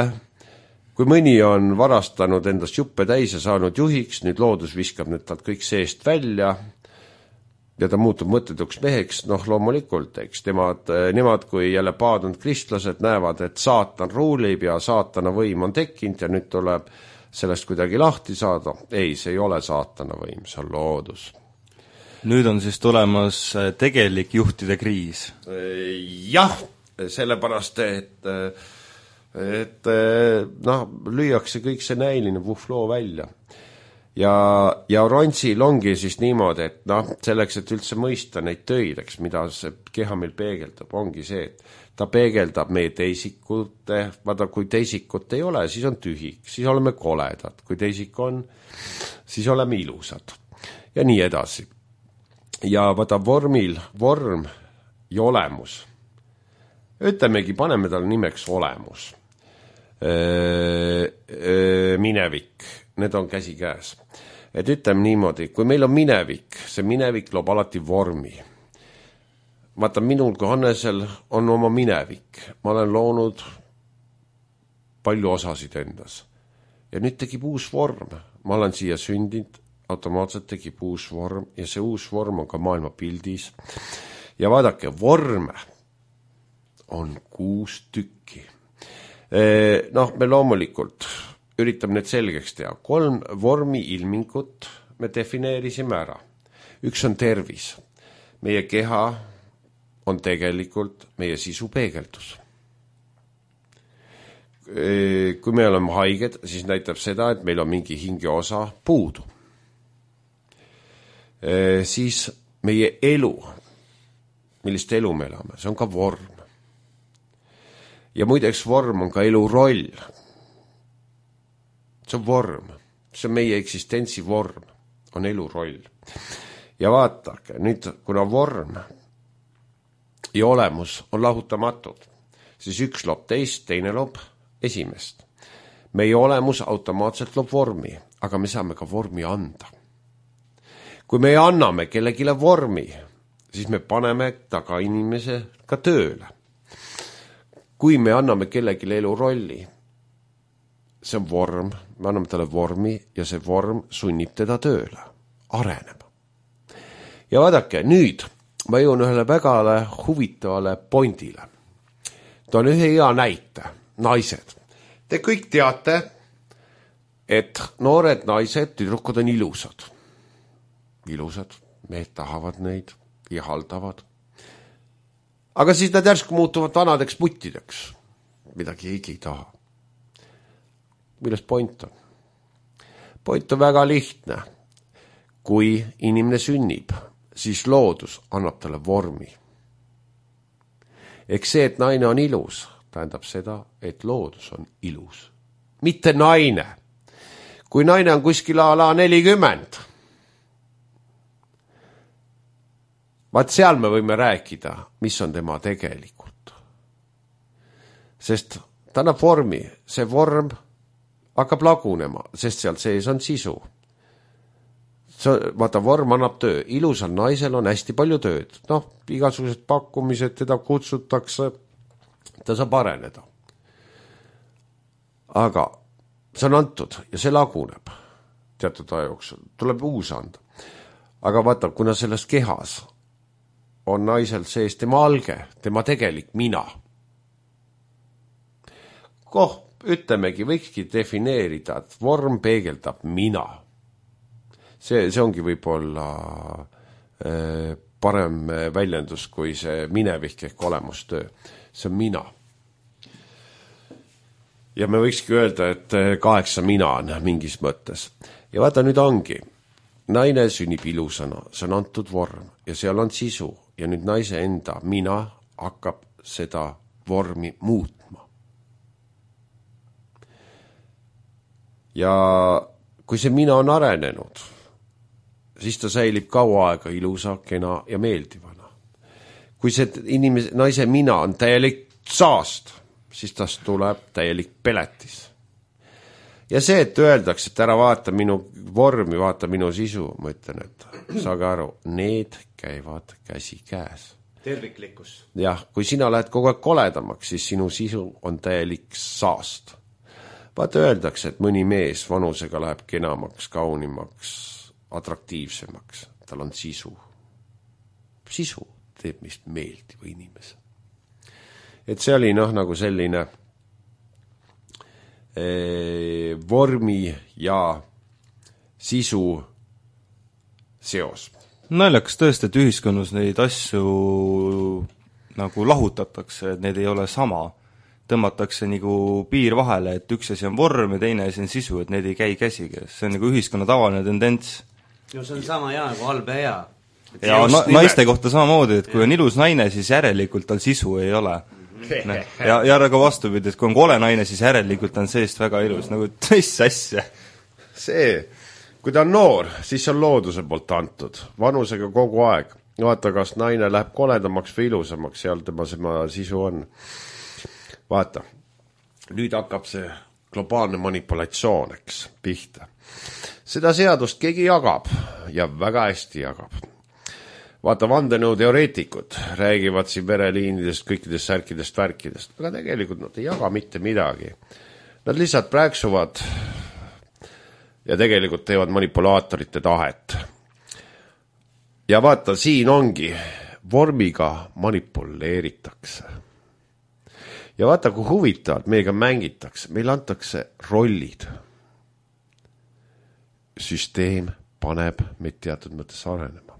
Kui mõni on varastanud endast juppe täis ja saanud juhiks, nüüd loodus viskab nüüd talt kõik seest välja ja ta muutub mõttetuks meheks, loomulikult, eks. Nemad kui jälle paadunud kristlased näevad, et saatan ruulib ja saatana võim on tekkinud ja nüüd tuleb sellest kuidagi lahti saada. Ei, see ei ole saatana võim, see on loodus. Nüüd on siis tulemas tegelik juhtide kriis. Jah, sellepärast, et lüüakse kõik see näiline vuhfloo välja. ja Ronsil ongi siis niimoodi, et noh, selleks, et üldse mõista neid töid, eks, mida see keha meil peegeldab, ongi see, et ta peegeldab meie teisikute, vaata, kui teisikut ei ole, siis on tühik, siis oleme koledad, kui teisik on, siis oleme ilusad ja nii edasi. Ja vaata vorm ja olemus. Ütlemegi, paneme talle nimeks olemus. Minevik, need on käsikäes. Et ütleme niimoodi, kui meil on minevik, see minevik loob alati vormi. Vaata, minul kui Hannesel on oma minevik. Ma olen loonud palju osasid endas. Ja nüüd tegib uus vorm. Ma olen siia sündinud, automaatselt tegib uus vorm ja see uus vorm on ka maailma pildis. Ja vaadake, vorme on 6 tükki. Noh, me loomulikult üritame need selgeks teha. 3 vormi ilmingut me defineerisime ära. Üks on tervis. Meie keha on tegelikult meie sisu peegeldus. Kui me oleme haiged, siis näitab seda, et meil on mingi hingeosa puudu. Siis meie elu, millist elu me elame, see on ka vorm. Ja muideks vorm on ka elu roll. See on vorm. See on meie eksistentsi vorm. On elu roll. Ja vaatake, nüüd kuna vorm ja olemus on lahutamatud, siis üks loob teist, teine loob esimest. Meie olemus automaatselt loob vormi, aga me saame ka vormi anda. Kui me anname kellegile vormi, siis me paneme ta ka inimese ka tööle. Kui me anname kellelegi elu rolli, see on vorm, me anname talle vormi ja see vorm sunnib teda tööle, arenema. Ja vaadake, nüüd ma jõun ühele väga huvitavale pointile. Ta on ühe hea näite, naised. Te kõik teate, et noored naised, tüdrukud on ilusad. Ilusad, mehed tahavad neid, ihaldavad. Aga siis nad järsku muutuvad vanadeks puttideks. Midagi ei taha. Milles point on? Point on väga lihtne. Kui inimene sünnib, siis loodus annab talle vormi. Eks see, et naine on ilus, tähendab seda, et loodus on ilus. Mitte naine. Kui naine on kuskil ala 40, vaat seal me võime rääkida, mis on tema tegelikult. Sest ta annab vormi, see vorm hakkab lagunema, sest seal sees on sisu. Vaata, vorm annab töö. Ilusal naisel on hästi palju tööd. Noh, igasugused pakkumised, teda kutsutakse, ta saab areneda. Aga see on antud ja see laguneb teatud aja jooksul. Tuleb uus anda. Aga vaata, kuna selles kehas on naisel sees tema alge, tema tegelik mina. Ütlemegi, võikski defineerida, et vorm peegeldab mina. See ongi võib-olla parem väljendus kui see minevik ehk olemustöö. See on mina. Ja me võikski öelda, et 8 mina on mingis mõttes. Ja vaata, nüüd ongi. Naine sünnib ilusana, see on antud vorm ja seal on sisu. Ja nüüd naise enda mina hakkab seda vormi muutma. Ja kui see mina on arenenud, siis ta säilib kaua aega ilusa, kena ja meeldivana. Kui see naise mina on täielik saast, siis tast tuleb täielik peletis. Ja see, et öeldakse, et ära vaata minu vormi, vaata minu sisu, ma ütlen, et saage aru, need käivad käsi käes. Terviklikkus. Jah, kui sina lähed kogu aeg koledamaks, siis sinu sisu on täielik saast. Vaata, öeldakse, et mõni mees vanusega läheb kenamaks, kaunimaks, atraktiivsemaks. Tal on sisu. Sisu teeb mist meeldiva inimese. Et see oli nagu selline vormi ja sisu seos. Naljakas tõesti, et ühiskonnas neid asju nagu lahutatakse, et need ei ole sama. tõmmatakse nagu piir vahele, et üks asi on vorm ja teine asi on sisu, et need ei käi käsikäes. See on nagu ühiskonna tavaline tendents. No see on sama hea nagu halb ja hea. Ja naiste kohta samamoodi, et kui on ilus naine, siis järelikult tal sisu ei ole. Ja nagu vastupidi, et kui on kole naine, siis järelikult on seest väga ilus, nagu mis asja. See, kui ta on noor, siis on looduse poolt antud, vanusega kogu aeg. Vaata, kas naine läheb koledamaks või ilusamaks, seal tema sisu on. Vaata, nüüd hakkab see globaalne manipulatsioon, eks, pihta. Seda seadust keegi jagab ja väga hästi jagab. Vaata, vandenõuteoreetikud räägivad siin vereliinidest, kõikidest särkidest, värkidest, aga tegelikult nad ei jaga mitte midagi. Nad lihtsalt prääksuvad ja tegelikult teevad manipulaatorite tahet. Ja vaata, siin ongi, vormiga manipuleeritakse. Ja vaata, kui huvitavad, meiega mängitakse, meil antakse rollid. Süsteem paneb meid teatud mõttes arenema.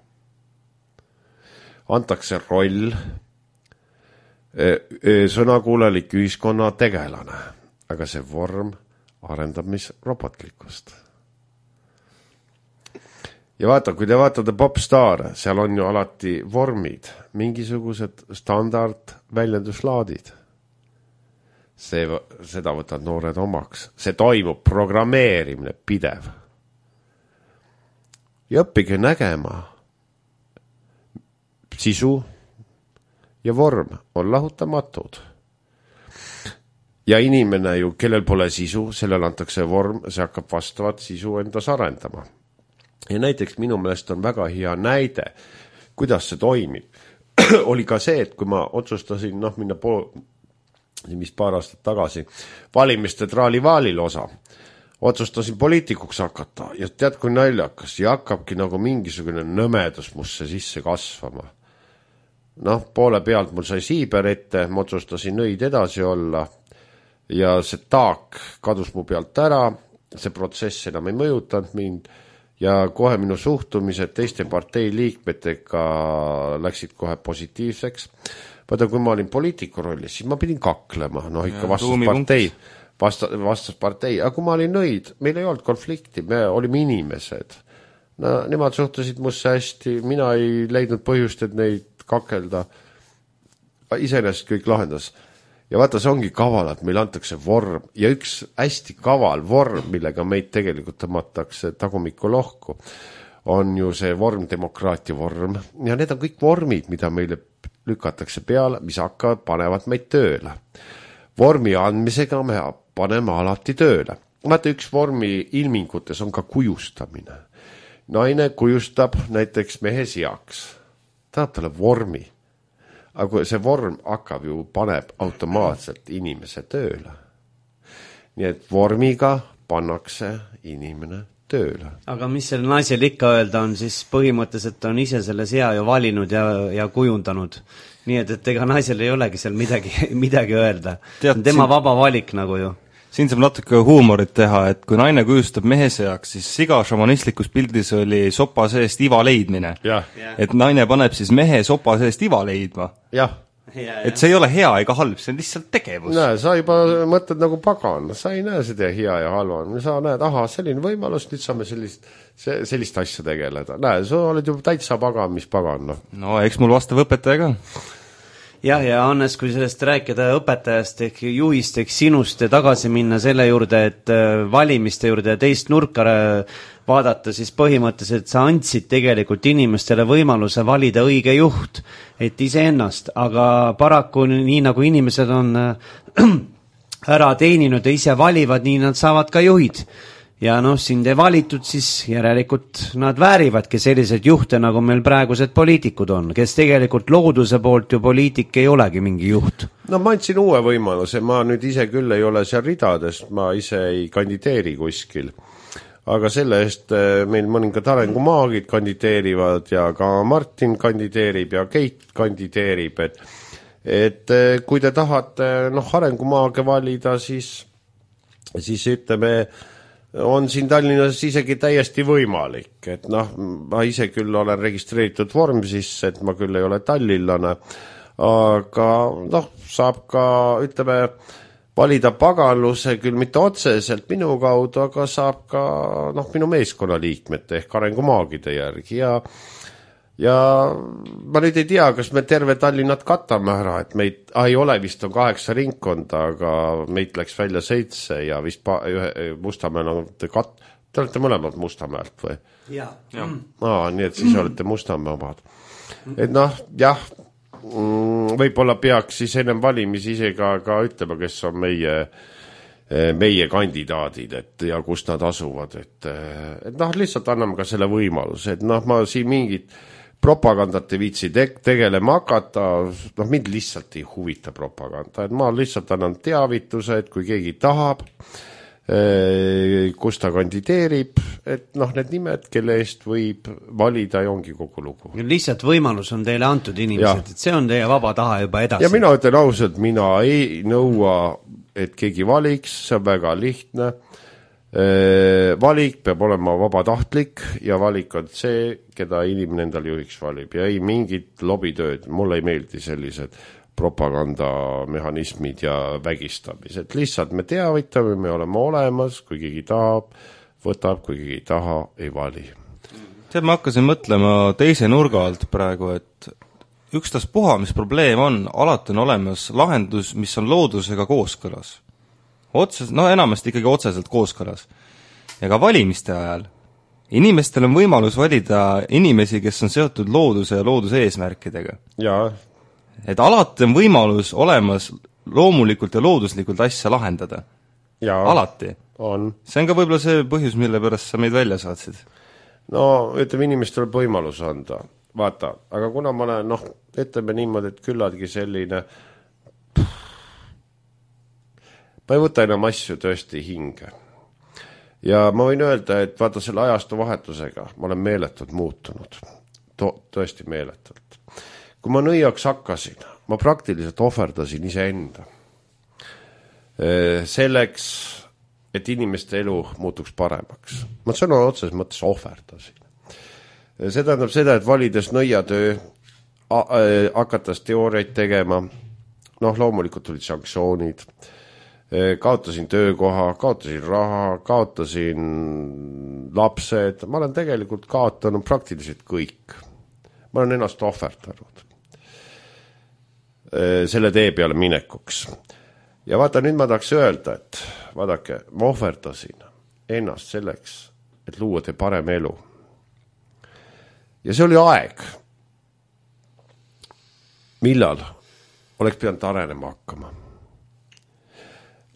Antakse roll sõnakuulelik ühiskonna tegelane, aga see vorm arendab mis robotlikkust. Ja vaata, kui te vaatate popstaare, seal on ju alati vormid, mingisugused standard väljenduslaadid. Seda võtad noored omaks. See toimub programmeerimine pidev. Ja õppige nägema. Sisu ja vorm on lahutamatud. Ja inimene ju, kellel pole sisu, sellel antakse vorm, see hakkab vastavat sisu endas arendama. Ja näiteks minu meelest on väga hea näide, kuidas see toimib. Oli ka see, et kui ma otsustasin minna mis paar aastat tagasi valimiste traalivaalil osa, otsustasin poliitikuks hakata ja tead, kui naljakas ja hakkabki nagu mingisugune nõmedus musse sisse kasvama. Poole pealt mul sai siiber ette, ma otsustasin nõid edasi olla ja see taak kadus mu pealt ära, see protsess enam ei mõjutanud mind ja kohe minu suhtumised teiste partei liikmetega läksid kohe positiivseks. Vaata, kui ma olin poliitiku rollis, siis ma pidin kaklema, ikka vastaspartei, aga kui ma olin nõid, meil ei olnud konflikti, me olime inimesed. Nemad suhtusid musse hästi, mina ei leidnud põhjust, et neid kakelda. Iseenesest kõik lahendas. Ja vaata, see ongi kaval, et meil antakse vorm ja üks hästi kaval vorm, millega meid tegelikult tõmmatakse tagumikku lohku, on ju see vormdemokraatia vorm ja need on kõik vormid, mida meile lükatakse peale, mis panevad meid tööle. Vormi andmisega me paneme alati tööle. Vaata, üks vormi ilmingutes on ka kujustamine. Naine kujustab näiteks mehe seaks. Tahab talle vormi. Aga see vorm hakkab ju, paneb automaatselt inimese tööle. Nii et vormiga pannakse inimene tööle. Aga mis selle naisel ikka öelda on, siis põhimõtteliselt on ise selle sea ju valinud ja kujundanud. Nii et ega naisel ei olegi seal midagi öelda. Tema vaba valik nagu ju. Siin saab natuke huumorit teha, et kui naine kujustab mehe seaks, siis iga šamanistlikus pildis oli sopa seest iva leidmine. Et naine paneb siis mehe sopa seest iva leidma. Et see ei ole hea ega halb, see on lihtsalt tegevus. Näe, sa juba mõtled nagu pagan, sa ei näe seda hea ja halva. Sa näed, selline võimalus, nüüd saame sellist asja tegeleda. Näe, sa oled juba täitsa pagan, mis pagan. No, eks mul vastav õpetaja ka. Ja Hannes, kui sellest rääkida õpetajast ehk juhist ehk sinust ja tagasi minna selle juurde, et valimiste juurde ja teist nurka vaadata, siis põhimõtteliselt sa andsid tegelikult inimestele võimaluse valida õige juht, et iseennast, aga paraku nii nagu inimesed on ära teeninud ja ise valivad, nii nad saavad ka juhid. Ja sind ei valitud, siis järelikult nad väärivadki sellised juhte, nagu meil praegused poliitikud on, kes tegelikult looduse poolt ju poliitik ei olegi mingi juht. No ma andsin uue võimaluse, ma nüüd ise küll ei ole seal ridades, ma ise ei kandideeri kuskil. Aga selle eest meil mõningad arengumaagid kandideerivad ja ka Martin kandideerib ja Keit kandideerib, et kui te tahate arengumaage valida, siis ütleme, on siin Tallinnas isegi täiesti võimalik, et ma ise küll olen registreeritud vorm sisse, et ma küll ei ole tallinlane, aga noh, saab ka, ütleme, valida paganluse küll mitte otseselt minu kaudu, aga saab ka noh, minu meeskonnaliikmete ehk arengumaagide järgi ja ma nüüd ei tea, kas me terve Tallinnat katame ära, et meid ei ole, vist on 8 ringkonda, aga meid läks välja 7 ja vist Mustamäel on te olete mõlemad Mustamäelt või? Jaa. Nii et siis olete Mustamäe omad. Et noh, jah, võib-olla peaks siis ennem valimisi ise ka ütlema, kes on meie kandidaadid, et ja kus nad asuvad, et noh, lihtsalt anname ka selle võimaluse, et noh, ma siin mingit propagandat ei viitsi tegelema hakata, noh, mind lihtsalt ei huvita propaganda, et ma lihtsalt annan teavituse, et kui keegi tahab, kus ta kandideerib, et noh, need nimed, kelle eest võib valida ja ongi kogu lugu. Lihtsalt võimalus on teile antud inimesed, et see on teie vaba taha juba edasi. Ja mina ütlen ausalt, mina ei nõua, et keegi valiks, see on väga lihtne. Valik peab olema vabatahtlik ja valik on see, keda inimene endal juhiks valib ja ei mingit lobitööd, mulle ei meeldi sellised propagandamehhanismid ja vägistamised, lihtsalt me teavitame, me oleme olemas, kui keegi tahab, võtab, kui keegi ei taha, ei vali. Ma hakkasin mõtlema teise nurga alt praegu, et ükstaspuha, mis probleem on, alati on olemas lahendus, mis on loodusega kooskõlas. Enamasti ikkagi otseselt kooskõlas. Ja ka valimiste ajal inimestel on võimalus valida inimesi, kes on seotud looduse ja looduse eesmärkidega. Jaa. Et alati on võimalus olemas loomulikult ja looduslikult asja lahendada. Jaa. Alati. On. See on ka võib-olla see põhjus, mille pärast sa meid välja saatsid. No, ütleme, inimestele võimalus anda. Vaata, aga kuna ma olen, noh, ütleme niimoodi, et küllaltki selline ma ei võta enam asju tõesti hinge. Ja ma võin öelda, et vaata selle ajastu vahetusega ma olen meeletult muutunud. Tõesti meeletult. Kui ma nõiaks hakkasin, ma praktiliselt ohverdasin iseenda. Selleks, et inimeste elu muutuks paremaks. Ma sõna otses mõttes ohverdasin. See tähendab seda, et valides nõiatöö, hakatas teooriaid tegema, noh, loomulikult tulid sanktsioonid, kaotasin töökoha, kaotasin raha, kaotasin lapsed, ma olen tegelikult kaotanud praktiliselt kõik. Ma olen ennast ohverdanud selle tee peale minekuks. Ja vaata, nüüd ma tahaks öelda, et vaadake, ma ohverdasin ennast selleks, et luua te parem elu. Ja see oli aeg, millal oleks pidanud arenema hakkama.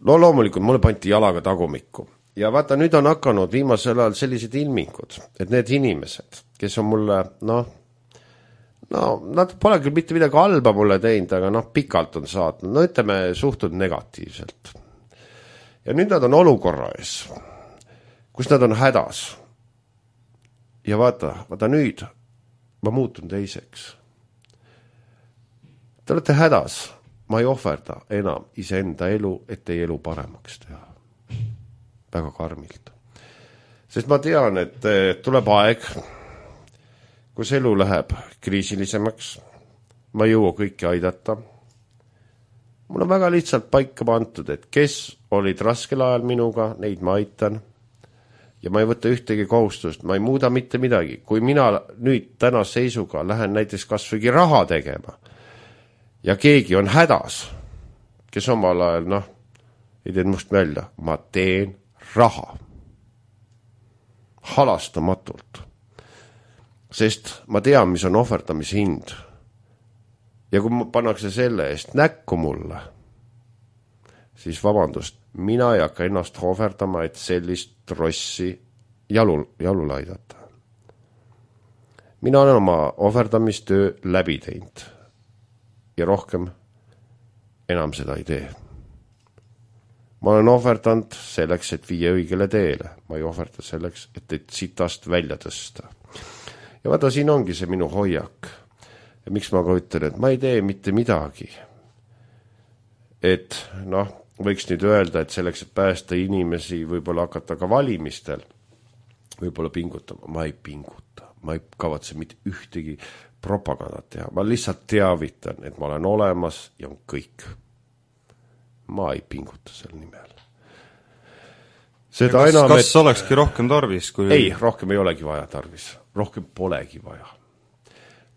Loomulikult mulle panti jalaga tagumikku. Ja vaata, nüüd on hakanud viimasel ajal sellised ilmingud, et need inimesed, kes on mulle, nad pole küll mitte midagi halba mulle teinud, aga pikalt on saatnud, ütleme, suhtud negatiivselt. Ja nüüd nad on olukorra ees, kus nad on hädas. Ja vaata nüüd ma muutun teiseks. Te olete hädas. Ma ei ohverda enam iseenda elu, et teie elu paremaks teha. Väga karmilt. Sest ma tean, et tuleb aeg, kus elu läheb kriisilisemaks. Ma ei jõua kõiki aidata. Mul on väga lihtsalt paika pantud, et kes olid raskel ajal minuga, neid ma aitan. Ja ma ei võta ühtegi kohustust, ma ei muuda mitte midagi. Kui mina nüüd täna seisuga lähen näiteks kasvõi raha tegema, ja keegi on hädas, kes omal ajal, ei teen must välja, ma teen raha. Halastamatult. Sest ma tean, mis on ohverdamise hind. Ja kui pannakse selle eest näkku mulle, siis vabandust, mina ei hakka ennast ohverdama, et sellist rossi jalule aidata. Mina olen oma ohverdamistöö läbi teinud. Ja rohkem enam seda ei tee. Ma olen ohverdanud selleks, et viia õigele teele. Ma ei ohverda selleks, et sitast välja tõsta. Ja vaata, siin ongi see minu hoiak. Ja miks ma ka ütlen, et ma ei tee mitte midagi. Et, võiks nüüd öelda, et selleks, et päästa inimesi, võib-olla hakata ka valimistel, võib-olla pingutama. Ma ei pinguta. Ma ei kavatse mitte ühtegi propagandat teha, ma lihtsalt teavitan, et ma olen olemas ja on kõik. Ma ei pinguta selle nimel. Seda kas, enam, kas olekski rohkem tarvis? Kui... Ei, rohkem ei olegi vaja tarvis. Rohkem polegi vaja.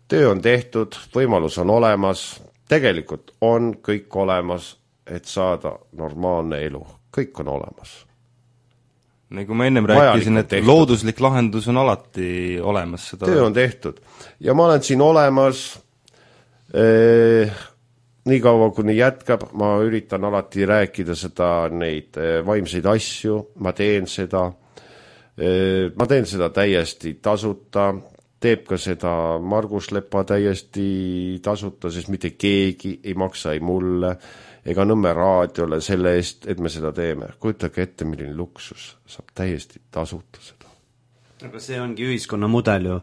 Töö on tehtud, võimalus on olemas, tegelikult on kõik olemas, et saada normaalne elu. Kõik on olemas. Nagu ma ennem rääkisin, et looduslik lahendus on alati olemas. Seda... Töö on tehtud. Ja ma olen siin olemas... nii kaua, kuni jätkab, ma üritan alati rääkida seda neid vaimseid asju, ma teen seda täiesti tasuta, teeb ka seda Margus Lepa täiesti tasuta, sest mitte keegi ei maksa ei mulle ega Nõmme raadiole selle eest, et me seda teeme. Kujutage ette, milline luksus, saab täiesti tasuta seda. Aga see ongi ühiskonna mudel ju,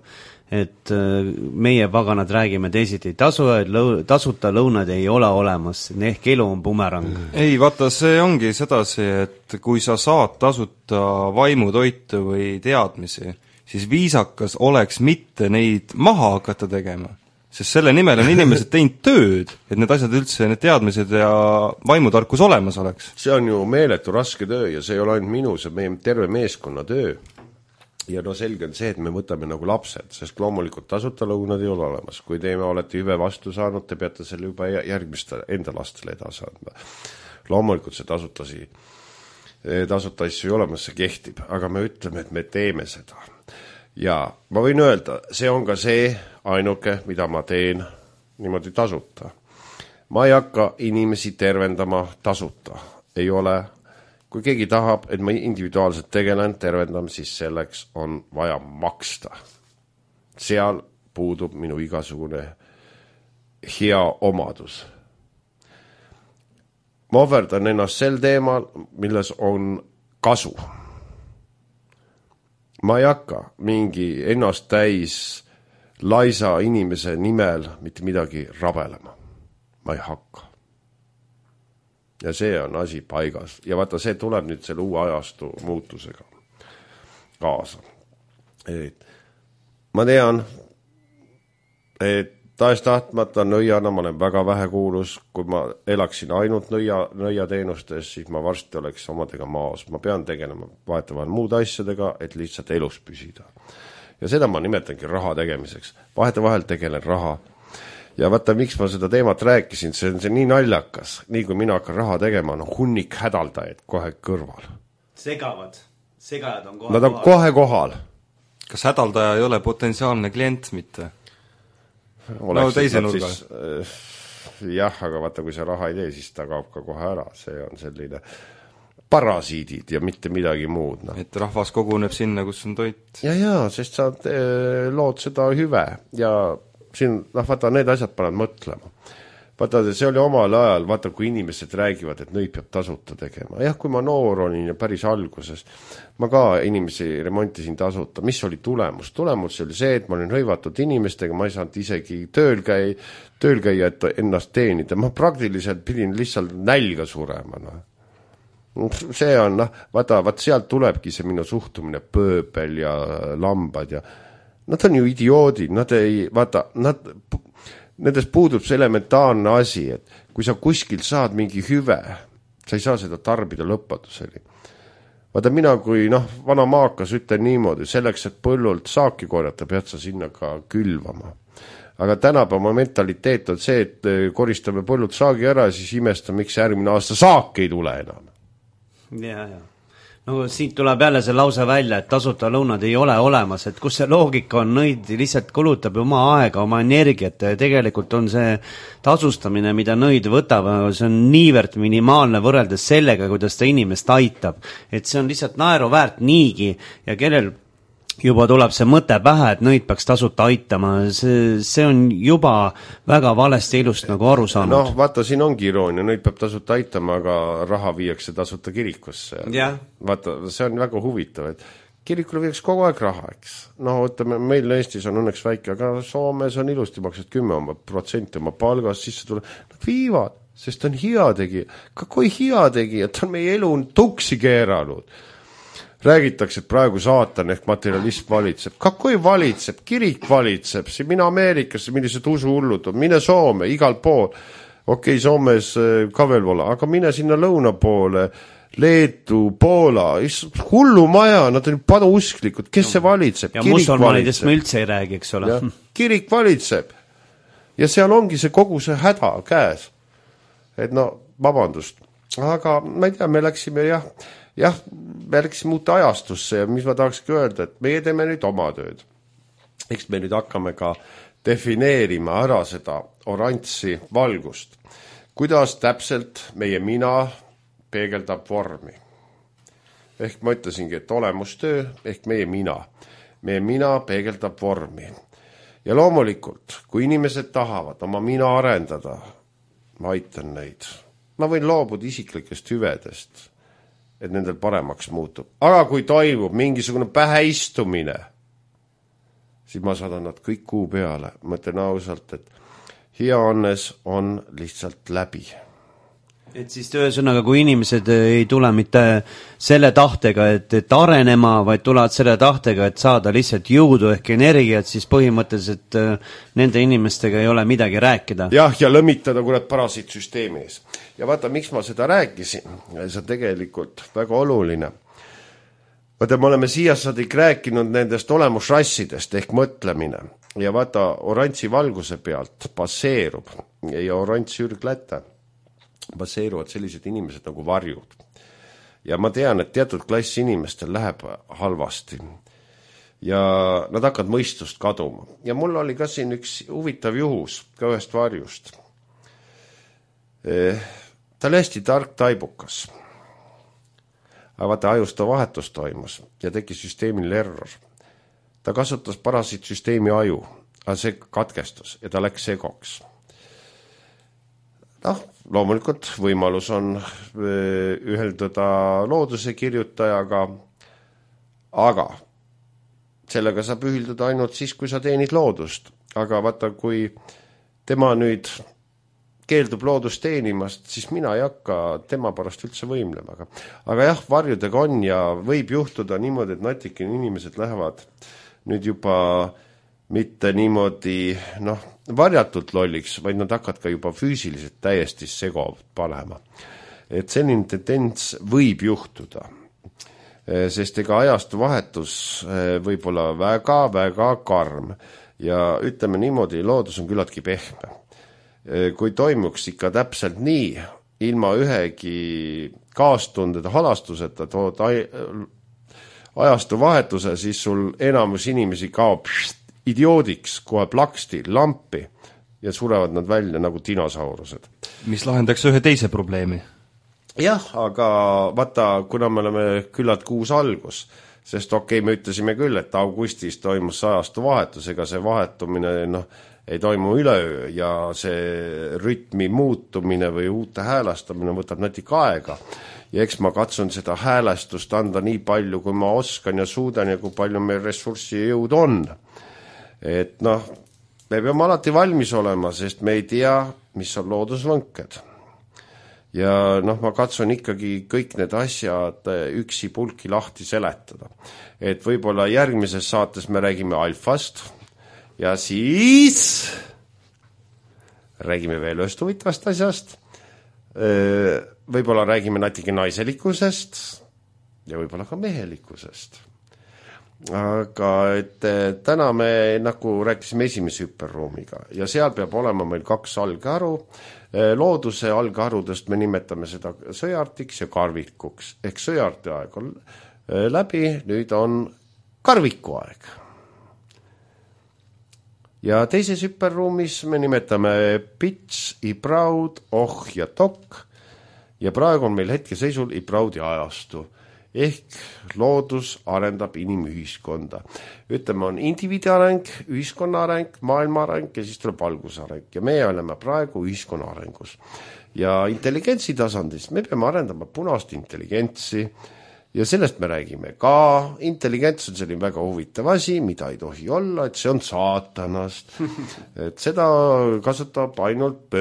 et meie paganad räägime teisiti, tasuta lõunad ei ole olemas, ehk elu on bumerang. Ei, vaata, see ongi sedasi, et kui sa saad tasuta vaimutoitu või teadmisi, siis viisakas oleks mitte neid maha hakata tegema. Sest selle nimel on inimesed teinud tööd, et need asjad üldse, need teadmised ja vaimutarkus olemas oleks. See on ju meeletu raske töö ja see ei ole ainult minu, see meie terve meeskonna töö. Ja no selge on see, et me võtame nagu lapsed, sest loomulikult tasuta lõunad ei ole olemas. Kui te olete hüve vastu saanud, te peate selle juba järgmiste enda lastele edasi andma. Loomulikult see tasuta asju ei olemas, see kehtib, aga me ütleme, et me teeme seda. Ja ma võin öelda, see on ka see ainuke, mida ma teen niimoodi tasuta. Ma ei hakka inimesi tervendama tasuta. Ei ole. Kui keegi tahab, et ma individuaalselt tegelen tervendam, siis selleks on vaja maksta. Seal puudub minu igasugune hea omadus. Ma ohverdan ennast sel teemal, milles on kasu. Ma ei hakka mingi ennast täis laisa inimese nimel mitte midagi rabelema. Ma ei hakka. Ja see on asi paigas. Ja vaata, see tuleb nüüd selle uue ajastu muutusega kaasa. Ma tean, et taes tahtmata nõiana ma olen väga vähe kuulus. Kui ma elaksin ainult nõia teenustes, siis ma varsti oleks omadega maas. Ma pean tegelema vahetavahel muude asjadega, et lihtsalt elus püsida. Ja seda ma nimetangi raha tegemiseks. Vahetavahel tegelen raha. Ja vaata, miks ma seda teemat rääkisin, see on see nii naljakas. Nii kui mina hakkan raha tegema, on hunnik hädaldajaid kohe kõrval. Segajad on kohe Nad on kohe kohal. Kas hädaldaja ei ole potentsiaalne klient mitte? No teise nurga. Jah, aga vaata, kui see raha ei tee, siis ta kaob ka kohe ära. See on selline parasiidid ja mitte midagi muud. No. Et rahvas koguneb sinna, kus on toit. Ja, sest sa lood seda hüve ja siin, vaata, need asjad panevad mõtlema. Vaata, see oli omal ajal, vaata, kui inimesed räägivad, et nõid peab tasuta tegema. Jah, kui ma noor olin ja päris alguses, ma ka inimesi remontisin tasuta. Mis oli tulemus? Tulemus oli see, et ma olin hõivatud inimestega, ma ei saanud isegi tööl käia, et ennast teenida. Ma praktiliselt pidin lihtsalt nälga surema. No. See on, vaata, sealt tulebki see minu suhtumine pööbel ja lambad ja nad on ju idioodid, nendest puudub see elementaarne asi, et kui sa kuskil saad mingi hüve, sa ei saa seda tarbida lõpmatuseni. Vaata, mina kui vana maakas ütlen niimoodi, selleks, et põllult saaki korjata, pead sa sinna ka külvama. Aga tänapäeva mentaliteet on see, et koristame põllult saagi ära, siis imestame, miks järgmine aasta saak ei tule enam. Ja. No siit tuleb jälle see lause välja, et tasuta lõunad ei ole olemas, et kus see loogika on, nõid lihtsalt kulutab oma aega, oma energiat ja tegelikult on see tasustamine, mida nõid võtab, see on niivõrd minimaalne võrreldes sellega, kuidas ta inimest aitab, et see on lihtsalt naeruväärt niigi ja kellel juba tuleb see mõte pähe, et nõid peaks tasuta aitama, see on juba väga valesti ilust nagu aru saanud. No vaata, siin ongi iroonia, nõid peab tasuta aitama, aga raha viiakse tasuta kirikusse. Yeah. Vaata, see on väga huvitav, et kirikule viiaks kogu aeg raha, eks. No ütleme, meil Eestis on õnneks väike, aga Soomes on ilusti maksad 10% oma palgast, siis see tuleb, nad viivad, sest on hea tegija. Ka kui hea tegija, ta on meie elu tuksi keeranud. räägitakse, et praegu saatan ehk materialism valitseb. Kui valitseb? Kirik valitseb. See mine Ameerikasse, millised usuhullud on. Mine Soome, igal pool. Okei, Soomes ka veel pole, aga mine sinna lõuna poole, Leedu, Poola, hullu maja, nad on paduusklikud, kes see valitseb? Ja musulmanidest me üldse ei räägi, eks ole. Kirik valitseb. Ja seal ongi see kogu see häda käes. Et no, vabandust. Aga ma ei tea, me läksime me läksime uute ajastusse ja mis ma tahakski öelda, et meie teeme nüüd oma tööd. Eks me nüüd hakkame ka defineerima ära seda oranži valgust. Kuidas täpselt meie mina peegeldab vormi. Ehk ma ütlesingi, et olemustöö ehk meie mina. Meie mina peegeldab vormi. Ja loomulikult, kui inimesed tahavad oma mina arendada, ma aitan neid. Ma võin loobuda isiklikest hüvedest, et nendel paremaks muutub. Aga kui toimub mingisugune päheistumine, siis ma saadan nad kõik kuu peale. Mõtlen ausalt, et hea õnnes on lihtsalt läbi. Et siis ühesõnaga, kui inimesed ei tule mitte selle tahtega, et arenema, vaid tulevad selle tahtega, et saada lihtsalt jõudu ehk energiat, siis põhimõtteliselt nende inimestega ei ole midagi rääkida. Jah, ja lõmitada kurat parasiitsüsteemi ees. Ja vaata, miks ma seda rääkisin, see on tegelikult väga oluline. Vaata, me oleme siiasadik rääkinud nendest olemusrassidest ehk mõtlemine. Ja vaata, oranži valguse pealt baseerub ja oranž sürgläte baseeruvad sellised inimesed nagu varjud. Ja ma tean, et teatud klass inimestel läheb halvasti. Ja nad hakkavad mõistust kaduma. Ja mul oli ka siin üks huvitav juhus ka ühest varjust. Ta oli hästi tark taibukas. Aga vaata, ajusta vahetus toimus ja tegi süsteemil error. Ta kasutas parasiitsüsteemi aju, aga see katkestus ja ta läks segoks. Loomulikult võimalus on üheldada looduse kirjutajaga, aga sellega saab ühildada ainult siis, kui sa teenid loodust. Aga vaata, kui tema nüüd keeldub loodust teenimast, siis mina ei hakka tema pärast üldse võimlema. Aga jah, varjudega on ja võib juhtuda niimoodi, et natikene inimesed lähevad nüüd juba mitte niimoodi varjatult lolliks, vaid nad hakkavad ka juba füüsiliselt täiesti sego panema. Et selline tendents võib juhtuda, sest ega ajastu vahetus võib olla väga karm ja ütleme niimoodi, loodus on küllaltki pehme. Kui toimuks ikka täpselt nii, ilma ühegi kaastundede halastuseta tood ajastu vahetuse, siis sul enamus inimesi kaob idioodiks, kohe plaksti, lampi ja surevad nad välja nagu dinosaurused. Mis lahendaks ühe teise probleemi? Jah, aga vaata, kuna me oleme küllalt kuus algus, sest me ütlesime küll, et augustis toimus ajastu vahetus, ega see vahetumine ei toimu üleöö ja see rütmi muutumine või uute häälastamine võtab natuke aega. Ja eks ma katsun seda häälestust anda nii palju, kui ma oskan ja suudan ja kui palju meil ressurssi ja jõud on. Et me peame alati valmis olema, sest me ei tea, mis on loodusvõnked. Ja ma katsun ikkagi kõik need asjad üksi pulki lahti seletada. Et võib-olla järgmises saates me räägime alfast ja siis räägime veel ühest huvitavast asjast. Võib-olla räägime natuke naiselikkusest ja võib-olla ka mehelikkusest. Aga et täna me nagu rääkisime esimese hüperruumiga ja seal peab olema meil 2 algharu. Looduse algharudest me nimetame seda sõjartiks ja karvikuks. Ehk sõjarti aeg on läbi, nüüd on karviku aeg. Ja teises hüperruumis me nimetame pits, ibraud, ja tok ja praegu on meil hetkeseisul ibraudi ajastu. Ehk loodus arendab inimühiskonda. Ütleme, on indiviidi areng, ühiskonna areng, maailma areng ja siis tuleb valgusareng. Ja meie oleme praegu ühiskonna arengus. Ja intelligentsi tasandis me peame arendama punast intelligentsi ja sellest me räägime ka. Intelligents on selline väga huvitav asi, mida ei tohi olla, et see on saatanast. Et seda kasutab ainult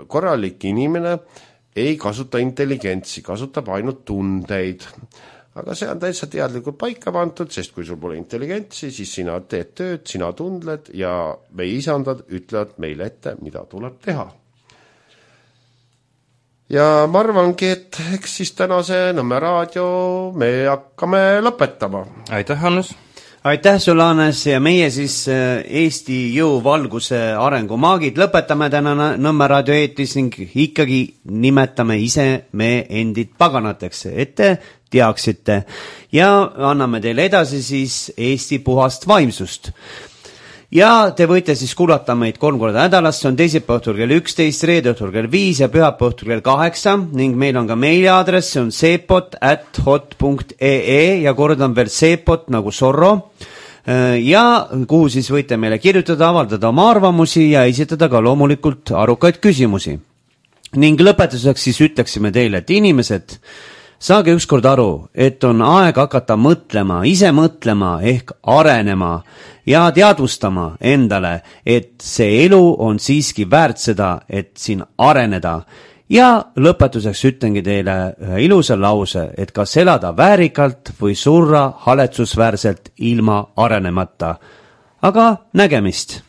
korralik inimene, ei kasuta intelligentsi, kasutab ainult tundeid. aga see on täitsa teadlikult paika pandud, sest kui sul pole intelligentsi, siis sina teed tööd, sina tundled ja meie isandad ütlevad meile ette, mida tuleb teha. Ja ma arvangi, et eks siis tänase Nõmme raadio me hakkame lõpetama. Aitäh, Hannes! Aitäh sulle, Hannes, ja meie siis Eesti jõuvalguse arengumaagid lõpetame täna Nõmme raadio eetris ning ikkagi nimetame ise me endid paganateks, et te teaksite ja anname teile edasi siis Eesti puhast vaimsust. Ja te võite siis kuulata meid 3 korda nädalas, see on teisipäeva õhtul kell 11, reede õhtul kell 5 ja pühapäeva õhtul kell 8 ning meil on ka meiliaadress, see on sepot@hot.ee ja kordan veel sepot nagu Sorro ja kuhu siis võite meile kirjutada, avaldada oma arvamusi ja esitada ka loomulikult arukaid küsimusi. Ning lõpetuseks siis ütleksime teile, et inimesed, saage ükskord aru, et on aeg hakata mõtlema, ise mõtlema ehk arenema ja teadvustama endale, et see elu on siiski väärt seda, et siin areneda. Ja lõpetuseks ütlengi teile ühe ilusa lause, et kas elada väärikalt või surra haletsusväärselt ilma arenemata. Aga nägemist!